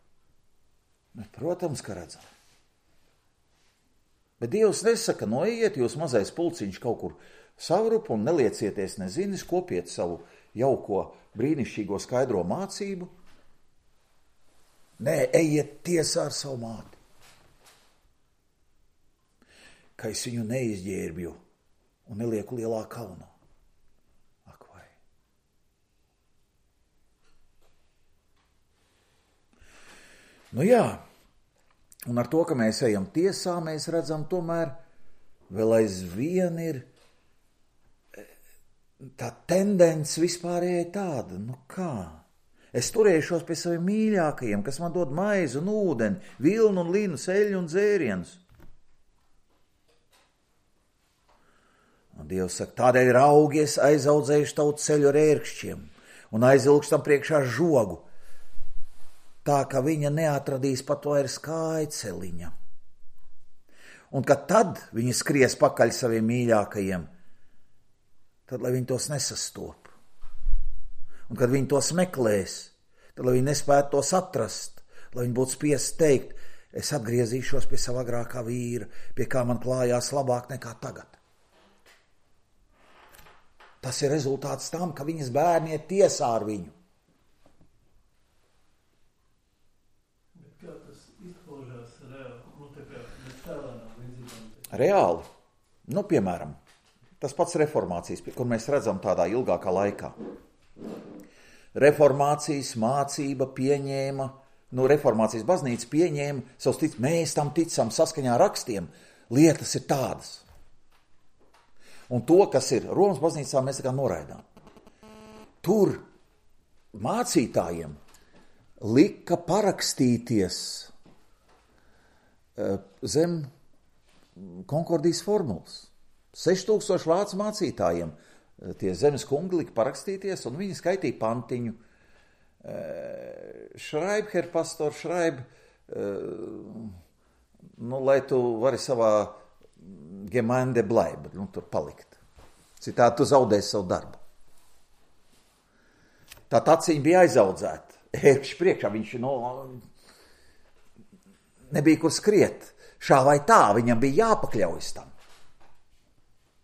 Bet, protams, ka redzam. Bet Dievs nesaka, noiet jūs mazais pulciņš kaut kur savrupu un neliecieties nezinis, kopiet savu jauko brīnišķīgo skaidro mācību. Nē, ejiet tiesā ar savu māti. Ka es viņu neizģērbju un nelieku lielā kaunā. Ak vai. Nu jā, un ar to, ka mēs ejam tiesā, mēs redzam tomēr vēl aizvien ir tā tendence vispārējai tāda, nu kā? Es turēšos pie saviem mīļākajiem, kas man dod maizi un ūdeni, vilnu un linu, seļu un dzērienus. Un Dievs saka, tādēļ raugies aizaudzējuši tavu ceļu ar ērkšķiem un aizilgštam priekšā žogu, tā ka viņa neatradīs pat vairs kājceliņa. Un kad tad viņi skries pakaļ saviem mīļākajiem, tad, lai viņi tos nesastop. Un kad viņi tos meklēs, tad, lai viņi nespētu tos atrast, lai viņi būtu spiesti teikt, es atgriezīšos pie sava agrākā vīra, pie kā man klājās labāk nekā tagad. Tas ir rezultāts tam, ka viņas bērni iet tiesā ar viņu. Bet kā tas izpaužās reāli? Nu, tā kā bez tēlēnām līdzīgām? Reāli? Nu, piemēram, tas pats reformācijas, kur mēs redzam tādā ilgākā laikā. Reformācijas mācība pieņēma, nu, reformācijas baznīca pieņēma savus tic, mēs tam ticam saskaņā ar rakstiem, lietas ir tādas. Un to, kas ir Romas baznīcā, mēs tā kā noraidām. Tur mācītājiem lika parakstīties zem konkordijas formulas. seštūkstoši vācu mācītājiem tie zemes kungi lika parakstīties, un viņi skaitīja pantiņu. Šraib, herr pastor, šraib, nu, lai tu vari savā Gemeinde bleiben, nu, tur palikt. Citādi tu zaudēsi savu darbu. Tā taciņa bija aizaudzēta. Ērkšķi priekšā viņš no, nebija kur skriet. Šā vai tā, viņam bija jāpakļaujas tam.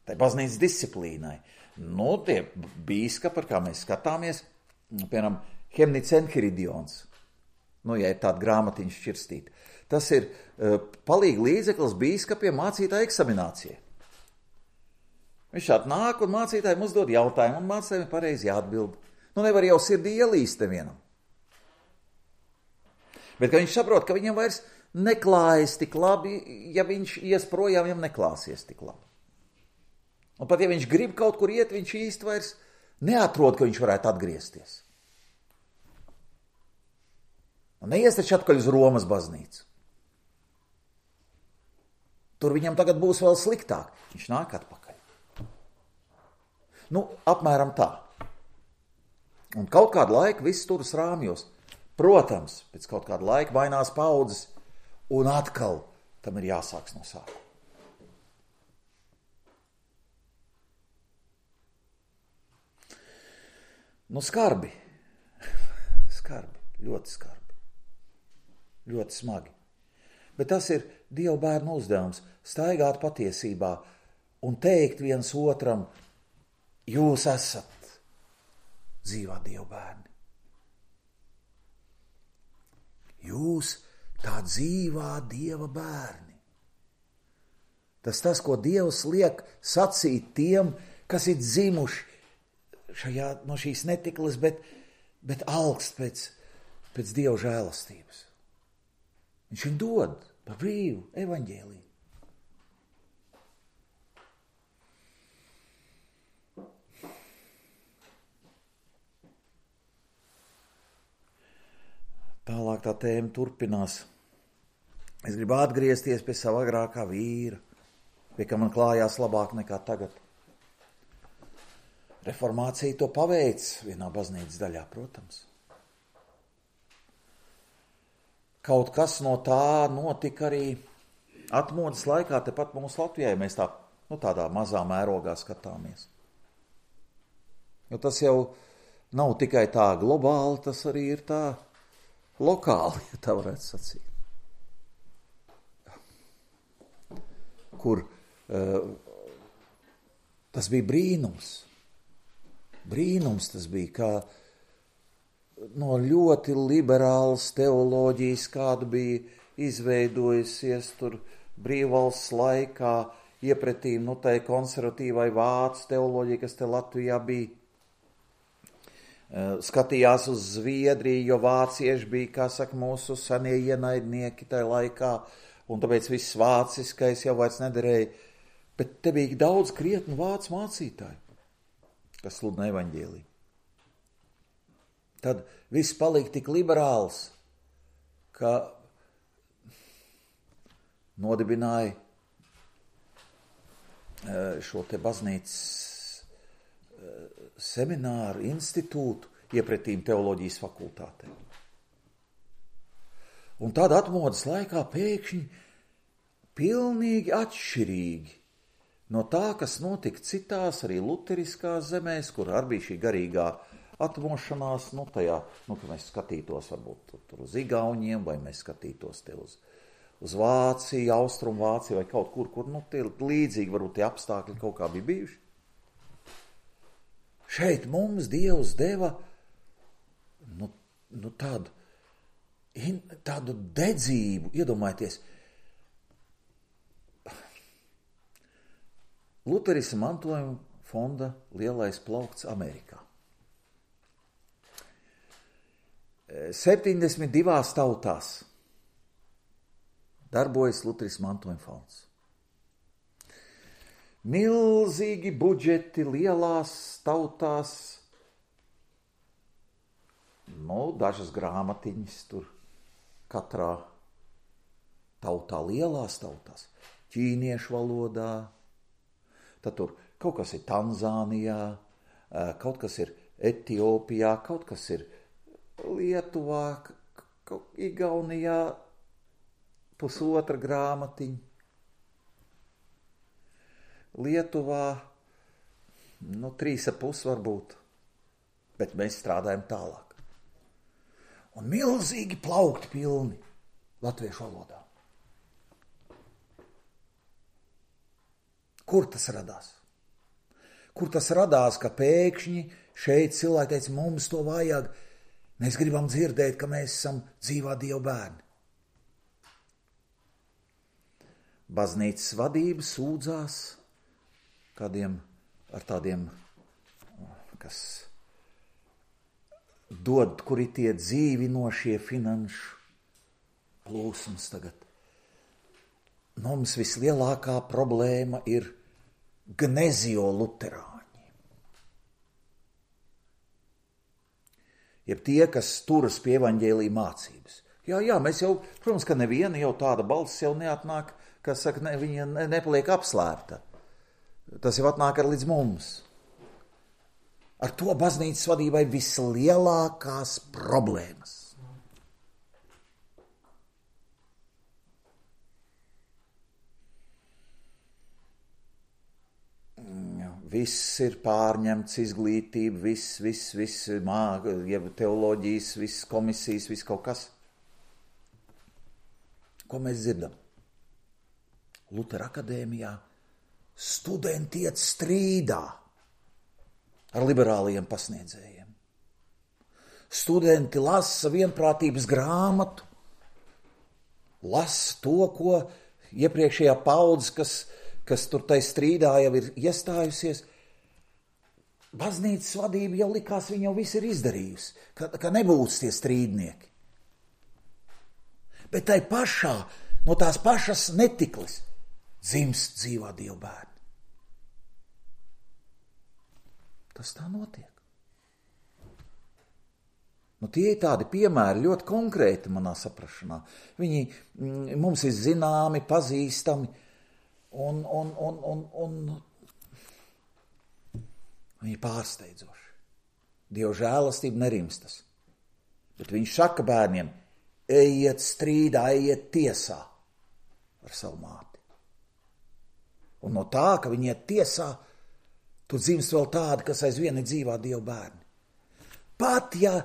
Tai baznīcas disciplīnai. Nu, tie bīskapi, par kā mēs skatāmies, piemēram, Hemnits Enhiridions. Nu, ja ir tāda grāmatiņa šķirstīta. Tas ir uh, palīgi līdzeklis bīskapiem mācītāju eksaminācijai. Viņš šādi nāk un mācītājiem uzdod jautājumu, un mācītājiem pareizi jāatbild. Nu, nevar jau sirdī ielīst nevienam. Bet ka viņš saprot, ka viņam vairs neklājas tik labi, ja viņš ies projām, viņam neklāsies tik labi. Un pat ja viņš grib kaut kur iet, viņš īsti vairs neatrod, ka viņš varētu atgriezties. Un neies taču atkaļ uz Romas baznīcu. Tur viņam tagad būs vēl sliktāk. Viņš nāk atpakaļ. Nu, apmēram tā. Un kaut kādu laiku viss turas rāmjos. Protams, pēc kaut kāda laika mainās paudzes, un atkal tam ir jāsāks no sākuma. Nu, skarbi. Skarbi. Ļoti skarbi. Ļoti smagi. Bet tas ir Dieva bērnu uzdevums – staigāt patiesībā un teikt viens otram, jūs esat dzīvā Dieva bērni. Jūs tā dzīvā Dieva bērni. Tas tas, ko Dievs liek sacīt tiem, kas ir dzimuši šajā, no šīs netikles, bet, bet alkst pēc, pēc Dieva žēlastības. Viņš viņu dod par brīvu evaņģēliju. Tālāk tā tēma turpinās. Es gribu atgriezties pie sava agrākā vīra, pie kā man klājās labāk nekā tagad. Reformācija to paveic vienā baznīcas daļā, protams. Kaut kas no tā notika arī atmodas laikā, tepat mums Latvijā, ja mēs tā, nu, tādā mazā mērogā skatāmies. Jo tas jau nav tikai tā globāli, tas arī ir tā lokāli, ja tā varētu sacīt. Kur uh, tas bija brīnums. Brīnums tas bija, kā no ļoti liberālas teoloģijas, kāda bija izveidojusies tur brīvvalsts laikā, iepretīm, nu, tai konservatīvai vācu teoloģija, kas te Latvijā bija. Skatījās uz Zviedriju, jo vācieši bija, kā saka, mūsu senie ienaidnieki tajā laikā, un tāpēc viss vāciskais jau vairs nederēja. Bet te bija daudz krietnu vācu mācītāju, kas sludina evaņģēliju. Tad viss palika tik liberāls, ka nodibināja šo te baznīcas semināru, institūtu iepretīm teoloģijas fakultātē. Un tad atmodas laikā pēkšņi pilnīgi atšķirīgi no tā, kas notika citās arī luteriskās zemēs, kur arī bija šī garīgā atmošanās, nu tajā, nu, ka mēs skatītos varbūt tur, tur uz Igauniem, vai mēs skatītos te uz, uz Vāciju, Austrumu Vāciju, vai kaut kur, kur, nu, tie līdzīgi varbūt tie apstākļi kaut kā bija bijuši. Šeit mums Dievs deva, nu, nu tādu, in, tādu dedzību, iedomājieties, Luterisma mantojuma fonda lielais plaukts Amerikā. septiņdesmit divās tautās darbojas Luterisma mantojuma fonds. Milzīgi budžeti lielās tautās, nu, dažas grāmatiņas tur katrā tautā, lielās tautās, ķīniešu valodā, tad tur kaut kas ir Tanzānijā, kaut kas ir Etiopijā, kaut kas ir Lietuvā, Igaunijā, pusotra grāmatiņa. Lietuvā, nu, trīs ap pus varbūt, bet mēs strādājam tālāk. Un milzīgi plaukti pilni latviešu valodā. Kur tas radās? Kur tas radās, ka pēkšņi šeit cilvēki teica, mums to vajag, mēs gribam dzirdēt, ka mēs esam dzīvā Dieva bērni. Baznīcas vadība sūdzās kādiem ar tādiem, kas dod, kuri tie dzīvinošie finanšu plūsmas tagad. Mums vislielākā problēma ir gnezio-luterāņi. Jeb tie, kas turas pie evaņģēlija mācības. Jā, jā, mēs jau, protams, ka neviena jau tāda balss jau neatnāk, kas saka, ne, viņa ne, nepaliek apslēpta. Tas jau atnāk ar līdz mums. Ar to baznīcas vadībai vislielākās problēmas. Viss ir pārņemts, izglītība, viss, viss, viss, mā, teoloģijas, viss komisijas, viss kaut kas. Ko mēs dzirdam? Lutera akadēmijā studenti iet strīdā ar liberālajiem pasniedzējiem. Studenti lasa vienprātības grāmatu, lasa to, ko iepriekšējā paudze, kas kas tur tai strīdā jau ir iestājusies, baznīcas vadība jau likās, viņa jau viss ir izdarījusi, ka, ka nebūs tie strīdnieki. Bet tai pašā, no tās pašas netiklis, dzimst dzīvā Dieva bērni. Tas tā notiek. Nu, tie ir tādi piemēri ļoti konkrēti manā saprašanā. Viņi mm, mums ir zināmi, pazīstami, Un, un, un, un, un viņi pārsteidzoši. Dieva žēlastība nerimstas. Bet viņš saka bērniem, ejiet strīdā, ejiet tiesā ar savu māti. Un no tā, ka viņi iet tiesā, tur dzimst vēl tādi, kas aizvien ir dzīvā Dieva bērni. Pat ja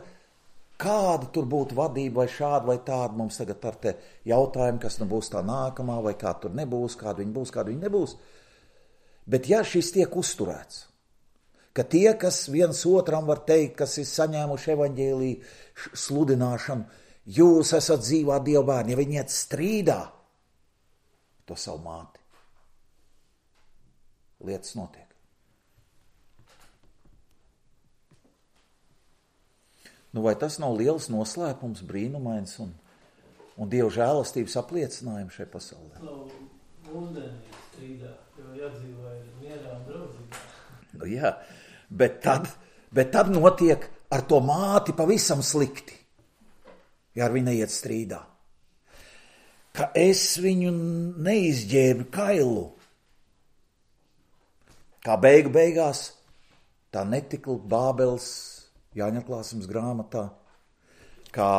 kāda tur būtu vadība vai šāda vai tāda, mums tagad ar te jautājumu, kas nu būs tā nākamā, vai kā tur nebūs, kāda viņa būs, kāda viņa nebūs. Bet ja šis tiek uzturēts, ka tie, kas viens otram var teikt, kas ir saņēmuši evaņģēliju sludināšanu, jūs esat dzīvā Dieva bērni, ja viņi iet strīdā to savu māti, lietas notiek. Nu, vai tas nav liels noslēpums, brīnumains un, un Dieva žēlastības apliecinājums šai pasaulē? Nav mūsdienīgi strīdā, jo jādzīvā ir mierā un draudzībā. Nu jā, bet tad, bet tad notiek ar to māti pavisam slikti, ja ar viņu neiet strīdā. Ka es viņu neizģēbu kailu. Kā beigu beigās tā netikla Bābeles Jāņa atklāsmes grāmatā, kā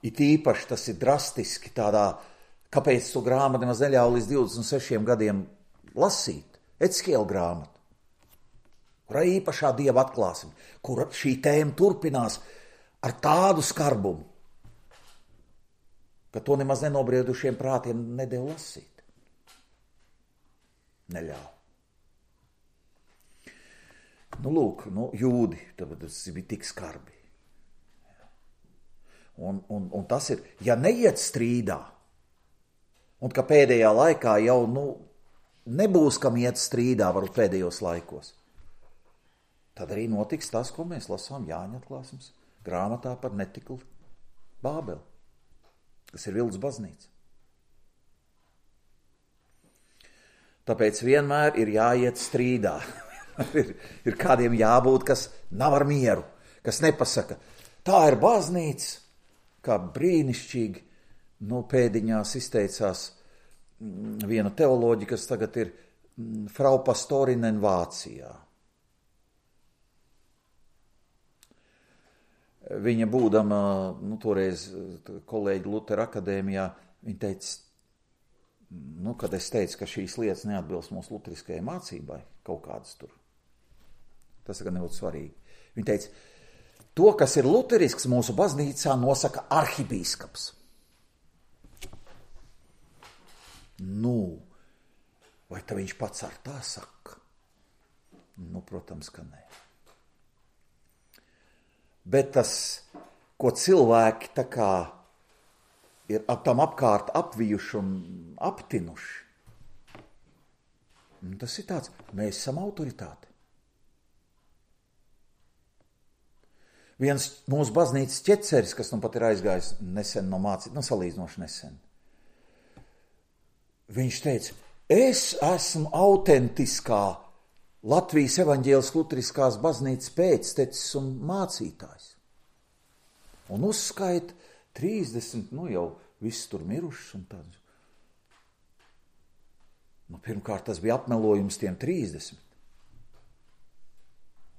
it īpaši tas ir drastiski tādā, kāpēc to grāmatu nemaz neļauj līdz divdesmit sešiem gadiem lasīt, Eckiela grāmatu, kurā īpašā Dieva atklāsme, kur šī tēma turpinās ar tādu skarbumu, ka to nemaz nenobriedušiem prātiem nedēļ lasīt. Neļauj. Nu, lūk, nu, jūdi, tas bija tik skarbi. Un, un, un tas ir, ja neiet strīdā, un ka pēdējā laikā jau, nu, nebūs kam iet strīdā, varbūt pēdējos laikos, tad arī notiks tas, ko mēs lasām Jāņa atklāsmes grāmatā par netikli Bābeli, kas ir viltus baznīca. Tāpēc vienmēr ir jāiet strīdā. ir, ir kādiem jābūt, kas nav ar mieru, kas nepasaka, tā ir baznīca, kā brīnišķīgi, nu, pēdiņās izteicās viena teoloģija, kas tagad ir Frau Pastorinen Vācijā. Viņa būdama, nu, toreiz kolēģi Lutera akadēmijā, viņa teica, nu, kad es teicu, ka šīs lietas neatbilst mūsu luteriskajai mācībai, kaut kādas tur. Tas gan nebūtu svarīgi. Viņa teica, to, kas ir luterisks mūsu baznīcā, nosaka arhibīskaps. Nu, vai tā viņš pats ar tā saka? Nu, protams, ka nē. Bet tas, ko cilvēki tā kā ir ap tam apkārt apvijuši un aptinuši, tas ir tāds, mēs esam autoritāte. Viens mūsu baznīcas ķeceris, kas nu pat ir aizgājis nesen no mācīt, nu salīdzinoši nesen, viņš teica, es esmu autentiskā Latvijas evaņģēliskās luteriskās baznīcas pēctecis un mācītājs. Un uzskaita trīsdesmit, nu jau viss tur mirušas un tāds. Nu, pirmkārt, tas bija apmelojums tiem trīsdesmit.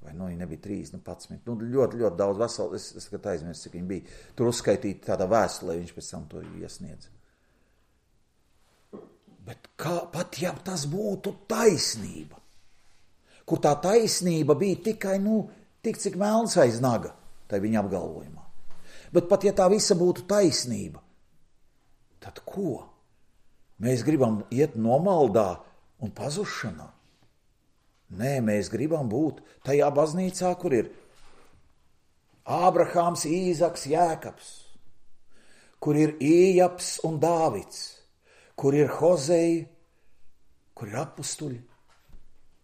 Vai nu, viņi nebija trīs, nu, padsmit. Nu, ļoti, ļoti daudz veselu, es, es skat aizmirst, cik viņi bija. Tur uzskaitīti tādā vēstulē, viņš pēc tam to iesniedz. Bet kā, pat ja tas būtu taisnība, kur tā taisnība bija tikai, nu, tik cik melns aiz naga, tai viņa apgalvojumā. Bet pat ja tā visa būtu taisnība, tad ko? Mēs gribam iet nomaldā un pazušanā. Nē, mēs gribam būt tajā baznīcā, kur ir Ābrahāms, Īzaks, Jēkabs, kur ir Ījaps un Dāvids, kur ir Hozei, kur ir apustuļi,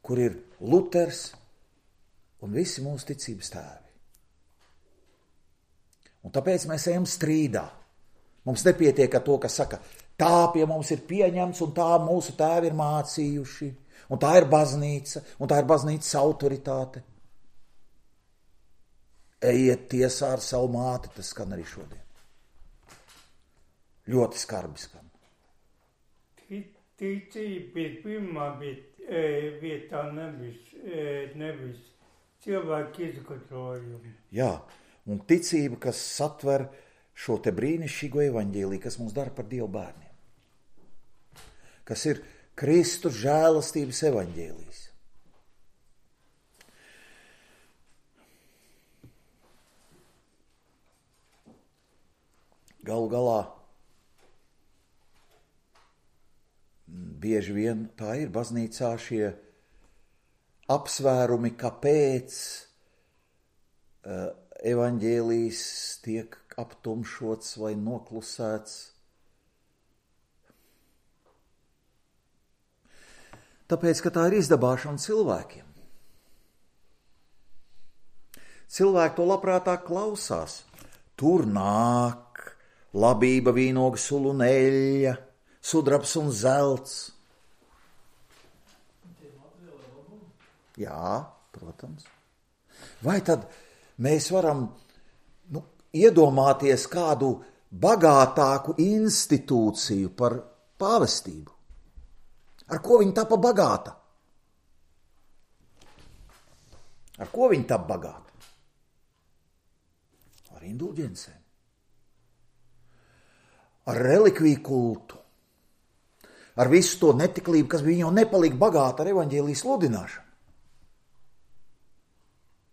kur ir Luters un visi mūsu ticības tēvi. Un tāpēc mēs ejam strīdā. Mums nepietiek ar to, kas saka, tā pie mums ir pieņemts un tā mūsu tēvi ir mācījuši. Un tā ir baznīca, un tā ir baznīcas autoritāte. Ejiet tiesā ar savu māti, tas skan arī šodien. Ļoti skarbi skan. Ticība ir pirmā vietā, nevis, nevis cilvēku izgudrojumu. Jā, un ticība, kas satver šo te brīnišķīgo evaņģēliju, kas mums dara par Dievu bērniem. Kas ir Kristus žēlastības evaņģēlijs. Galu galā bieži vien tā ir baznīcā šie apsvērumi, kāpēc uh, evaņģēlijs tiek aptumšots vai noklusēts. Tāpēc, ka tā ir izdabāšana cilvēkiem. Cilvēki to labprātāk klausās. Tur nāk labība, vīnoga, sula un eļļa, sudrabs un zelts. Jā, protams. Vai tad mēs varam nu, iedomāties kādu bagātāku institūciju par pāvestību? Ar ko viņa tapa bagāta? Ar ko viņa tapa bagāta? Ar indulģencēm. Ar relikviju kultu. Ar visu to netiklību, kas bija jau nepalika bagāta ar evaņģēlijas sludināšanu.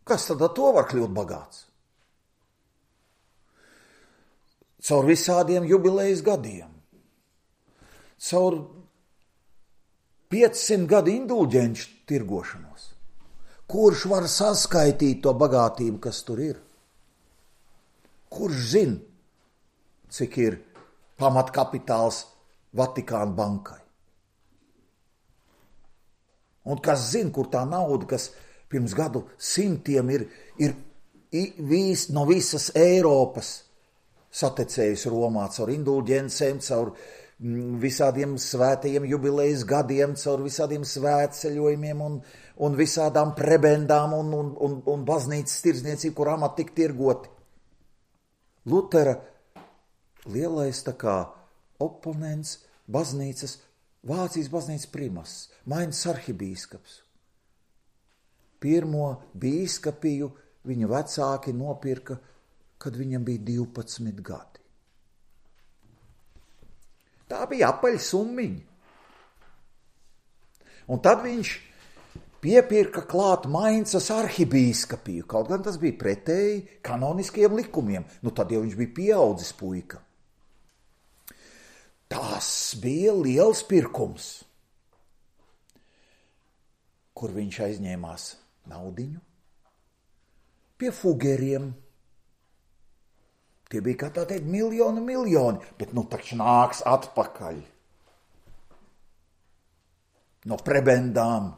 Kas tad ar to var kļūt bagāts? Caur visādiem jubilejas gadiem. Caur piecsimt gadu indulģenču tirgošanos. Kurš var saskaitīt to bagātību, kas tur ir? Kurš zina, cik ir pamatkapitāls Vatikāna bankai? Un kas zina, kur tā nauda, kas pirms gadu simtiem ir, ir vis, no visas Eiropas satecējusi Romā caur indulģencēm, caur visādiem svētajiem jubilejas gadiem, caur visādiem svētceļojumiem un, un visādām prebendām un, un, un, un baznīcas tirdzniecību, kur amati tik tirgoti. Lutera lielais tā kā oponents, baznīcas, Vācijas baznīcas primas, Mainas arhibīskaps. Pirmo bīskapiju viņa vecāki nopirka, kad viņam bija divpadsmit gadi. Tā bija apaļa summiņa. Un tad viņš piepirka klāt Maincas arhibīskapiju, kaut gan tas bija pretēji kanoniskiem likumiem. Nu tad jau viņš bija pieaudzis puika. Tas bija liels pirkums, kur viņš aizņēmās naudiņu pie fugeriem. Tie bija, kā tā teikt, miljoni, miljoni, bet nu taču nāks atpakaļ. No prebendām,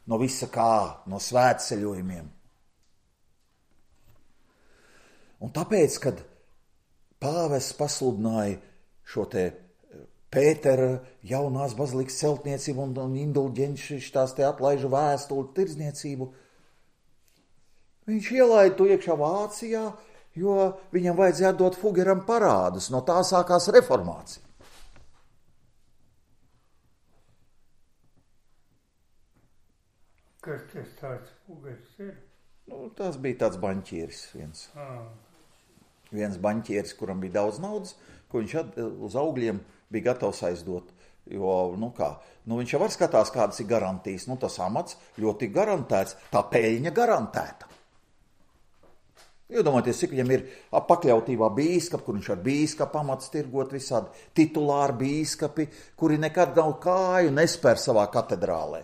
no visa kā, no svētceļojumiem. Un tāpēc, kad pāvests pasludināja šo te Pētera jaunās bazilikas celtniecību un, un indulģenci tās te atlaižu vēstuli tirdzniecību. Viņš ielaida to iekšā Vācijā, jo viņam vajadzēja dot Fugeram parādus, no tā sākās reformācija. Kas tas tāds Fugers ir? Nu, tas bija tāds baņķieris viens. Ah. Viens baņķieris, kuram bija daudz naudas, ko viņš at, uz augļiem bija gatavs aizdot. Jo, nu kā, nu viņš jau var skatās, kādas ir garantijas. Nu tas amats ļoti garantēts, tā peļņa garantēta. Iedomājieties, cik viņam ir pakļautībā bīskapi, kur viņš ar bīskapu amats tirgot visādi titulāri bīskapi, kuri nekad nav kāju nespēr savā katedrālē.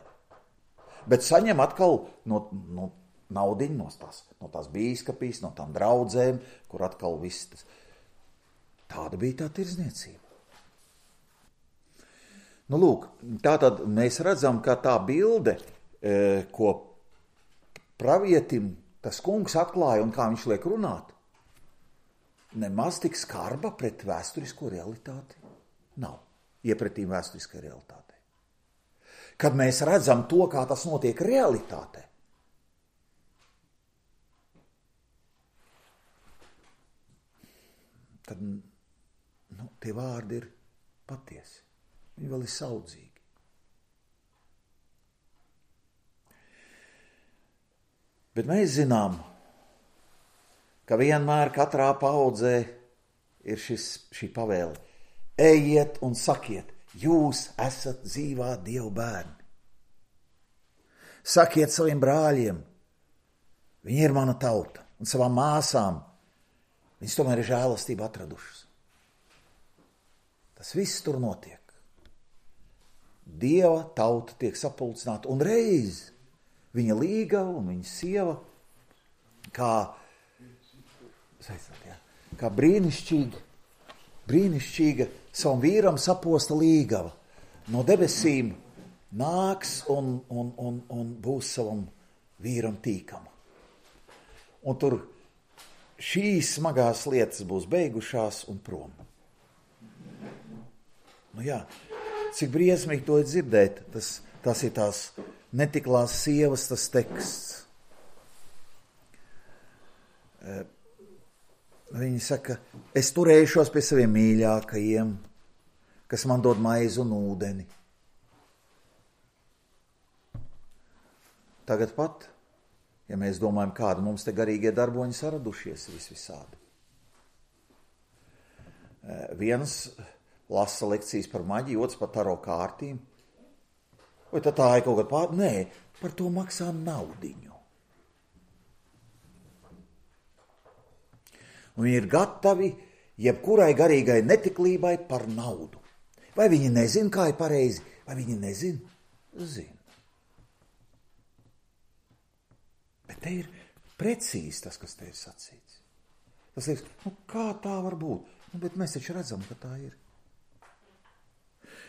Bet saņem atkal no, no naudiņu no tās, no tās bīskapīs, no tām draudzēm, kur atkal viss tas. Tāda bija tā tirdzniecība. Nu, lūk, tātad mēs redzam, ka tā bilde, e, ko pravietim tas kungs atklāja un kā viņš liek runāt, nemaz tik skarba pret vēsturisko realitāti nav. Iepretīm vēsturiskai realitātei. Kad mēs redzam to, kā tas notiek realitātē, tad nu, tie vārdi ir patiesi. Viņi vēl ir saudzīgi. Bet mēs zinām, ka vienmēr katrā paudzē ir šis, šī pavēle. Ejiet un sakiet, jūs esat dzīvā Dieva bērni. Sakiet saviem brāļiem, viņi ir mana tauta, un savām māsām, viņas tomēr ir žēlastību atradušas. Tas viss tur notiek. Dieva tauta tiek sapulcināta, un reiz viņa līgava un viņa sieva, kā, jā, kā brīnišķīga, brīnišķīga savam vīram saposta līgava no debesīm nāks un, un, un, un būs savam vīram tīkama. Un tur šīs smagās lietas būs beigušās un prom. Nu jā, cik briesmīgi to ir dzirdēt, tas, tas ir tās netiklās sievas, tas teksts. Viņi saka, es turēšos pie saviem mīļākajiem, kas man dod maizi un ūdeni. Tagad pat, ja mēs domājam, kāda mums te garīgie darboņi saradušies vis visādi. Viens lasa lekcijas par maģiju, otrs par taro kārtīm. Vai tad tā ir kaut kāda pār... Nē, par to maksā naudiņu. Un viņi ir gatavi jebkurai garīgai netiklībai par naudu. Vai viņi nezin, kā ir pareizi, vai viņi nezin? Zin. Bet te ir precīzi tas, kas te ir sacīts. Tas liekas, nu kā tā var būt? Nu, bet mēs taču redzam, ka tā ir.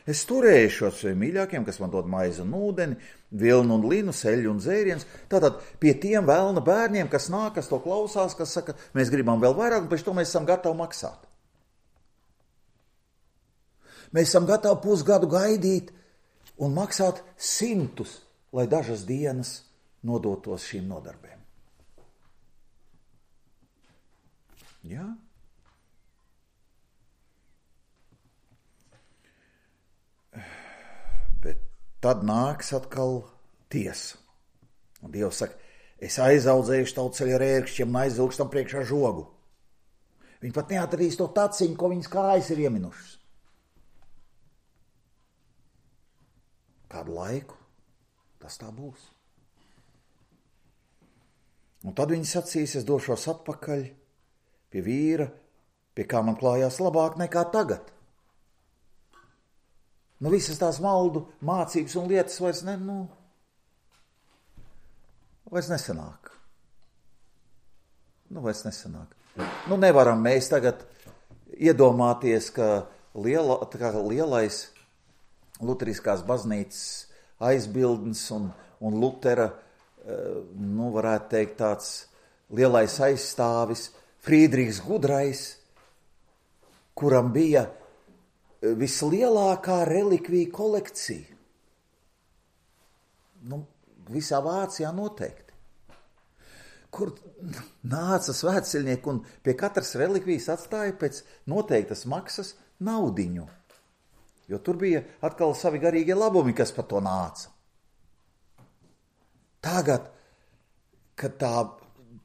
Es turēšos saviem mīļākiem, kas man dod maizi un ūdeni, vilnu un linu, seļu un dzēriens. Tātad pie tiem vēlna bērniem, kas nāk, kas to klausās, kas saka, mēs gribam vēl vairāk, un pēc to mēs esam gatavi maksāt. Mēs esam gatavi pusgadu gaidīt un maksāt simtus, lai dažas dienas nodotos šīm nodarbēm. Jā? Bet tad nāks atkal tiesa. Un Dievs saka, es aizaudzējuši tautsceļa ar ērkšķiem un aizvilkšu tam priekšā žogu. Viņi pat neatradīs to taciņu, ko viņas kājas ir ieminušas. Kādu laiku tas tā būs. Un tad viņi sacīs, es došos atpakaļ pie vīra, pie kā man klājās labāk nekā tagad. Nu, visas tās maldu mācības un lietas vairs, ne, nu, vairs nesanāk. Nu, vairs nesanāk. Nu, nevaram mēs tagad iedomāties, ka, liela, ka lielais luteriskās baznīcas aizbildnis un, un Lutera, nu, varētu teikt tāds lielais aizstāvis, Frīdrichs Gudrais, kuram bija vislielākā relikviju kolekcija. Nu, visā Vācijā noteikti. Kur nāca svētceļnieki un pie katras relikvijas atstāja pēc noteiktas maksas naudiņu. Jo tur bija atkal savi garīgie labumi, kas par to nāca. Tagad, kad tā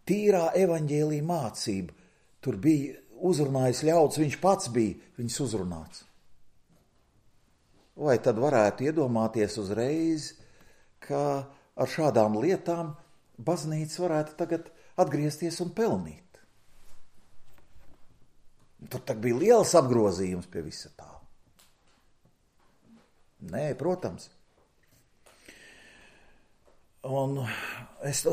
tīrā evaņģēlija mācība tur bija uzrunājis ļauds, viņš pats bija viņus uzrunāts. Vai tad varētu iedomāties uzreiz, ka ar šādām lietām baznīca varētu tagad atgriezties un pelnīt? Tur tak bija liels apgrozījums pie visa tā. Nē, protams. Un es...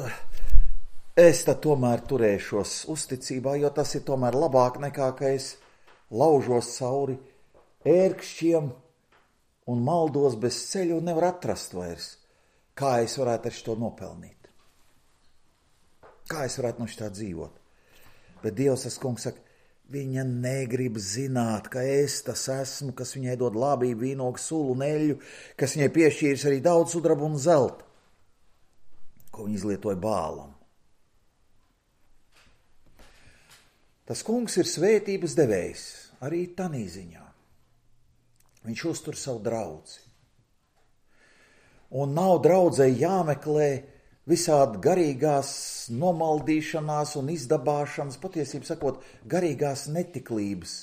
Es tad tomēr turēšos uzticībā, jo tas ir tomēr labāk nekā, ka es laužos cauri ērkšķiem un maldos bez ceļu un nevar atrast vairs, kā es varētu ar šo nopelnīt. Kā es varētu no šitā dzīvot. Bet Dievs, tas kungs saka, viņa negrib zināt, ka es tas esmu, kas viņai dod labību, vīnogu, sulu un eļļu, kas viņai piešķīris arī daudz sudrabu un zelta, ko viņa izlietoja Bālam. Tas kungs ir svētības devējs, arī tanī ziņā. Viņš uztur savu draudzi. Un nav draudzei jāmeklē visādi garīgās nomaldīšanās un izdabāšanas, patiesībā sakot, garīgās netiklības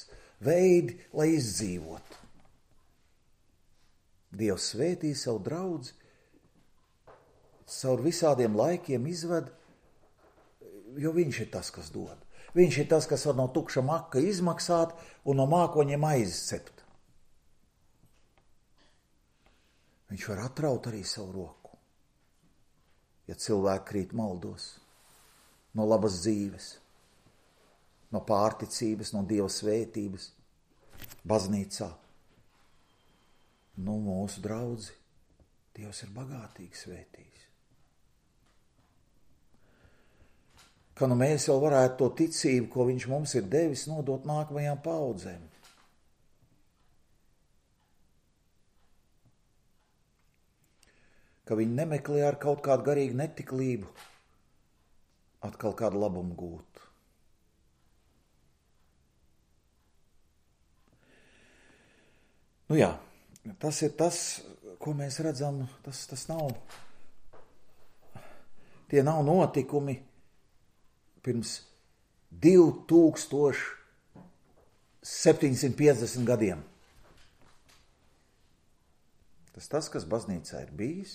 veidi, lai izdzīvotu. Dievs svētī savu draudzi, caur visādiem laikiem izved, jo viņš ir tas, kas dod. Viņš ir tas, kas var no tukša maka izmaksāt un no mākoņiem aizcept. Viņš var atraut arī savu roku, ja cilvēki krīt maldos, no labas dzīves, no pārticības, no Dieva svētības, baznīcā. Nu, mūsu draudzi, Dievs ir bagātīgi svētījis. Ka nu mēs jau varētu to ticību, ko viņš mums ir devis, nodot nākamajām paudzēm. Ka viņi nemeklē ar kaut kādu garīgu netiklību atkal kādu labumu gūt. Nu jā, tas ir tas, ko mēs redzam, tas, tas nav, tie nav notikumi pirms divi tūkstoši septiņsimt piecdesmit gadiem. Tas tas, kas baznīcā ir bijis,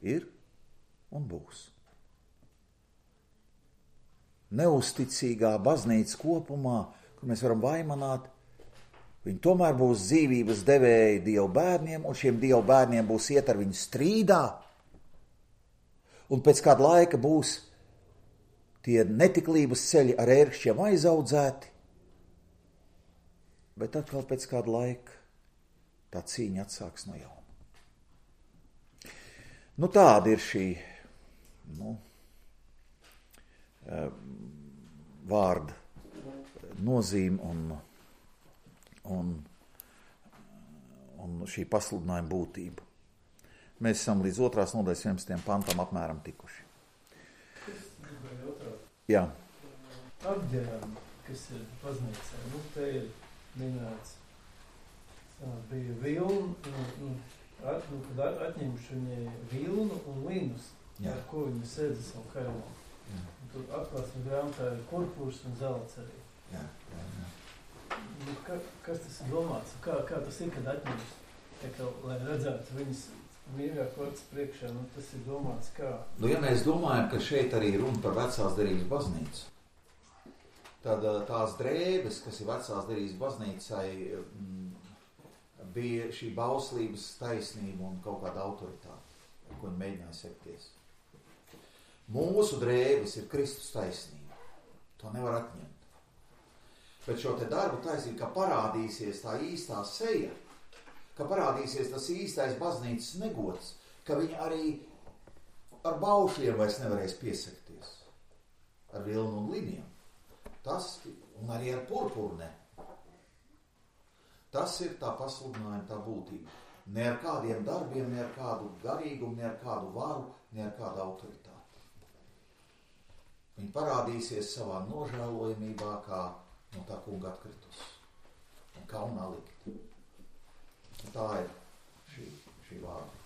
ir un būs. Neusticīgā baznīca kopumā, kur mēs varam vaimanāt, viņi tomēr būs dzīvības devēji Dievu bērniem, un šiem Dievu bērniem būs iet ar viņu strīdā, un pēc kāda laika būs tie netiklības ceļi ar ērkšķiem aizaudzēti, bet atkal pēc kāda laika tā cīņa atsāks no jauna. Nu, tāda ir šī nu, vārda nozīme un, un, un šī pasludinājuma būtība. Mēs esam līdz otrās nodaļas vienpadsmitajam pantam apmēram tikuši. Jā. Apģērām, kas ir baznīcā, nu, te ir minēts, bija vilna, nu, at, nu, kad atņemšu viņai vilnu un linus, jā, ar ko viņa sēdza savu kailā. Tur atklāsmes grāmatā ir purpurs un zelts arī. Jā, jā, jā. Nu, ka, kas tas ir domāts? Kā, kā tas ir, kad atņems? Tā kā, lai redzētu viņas mīļāk vārds priekšā, nu tas ir domāts kā? Nu, ja mēs domājam, ka šeit arī runa par vecās derības baznīcu, tad tās drēbes, kas ir vecās derības baznīcai, bija šī bauslības taisnība un kaut kāda autoritāte, ko viņi mēģināja sekties. Mūsu drēbes ir Kristus taisnība. To nevar atņemt. Bet šo te darbu taisnību, ka parādīsies tā īstā seja, ka parādīsies tas īstais baznīcas negods, ka viņi arī ar baušļiem vairs nevarēs piesakties. Ar vilnu un liniem. Tas, un arī ar purpuru ne. Tas ir tā pasludinājuma, tā būtība. Ne ar kādiem darbiem, ne ar kādu garīgumu, ne ar kādu varu, ne ar kādu autoritāti. Viņi parādīsies savā nožēlojamībā, kā no tā kunga atkritus un kaunā likt. Tā ir šī, šī vārda.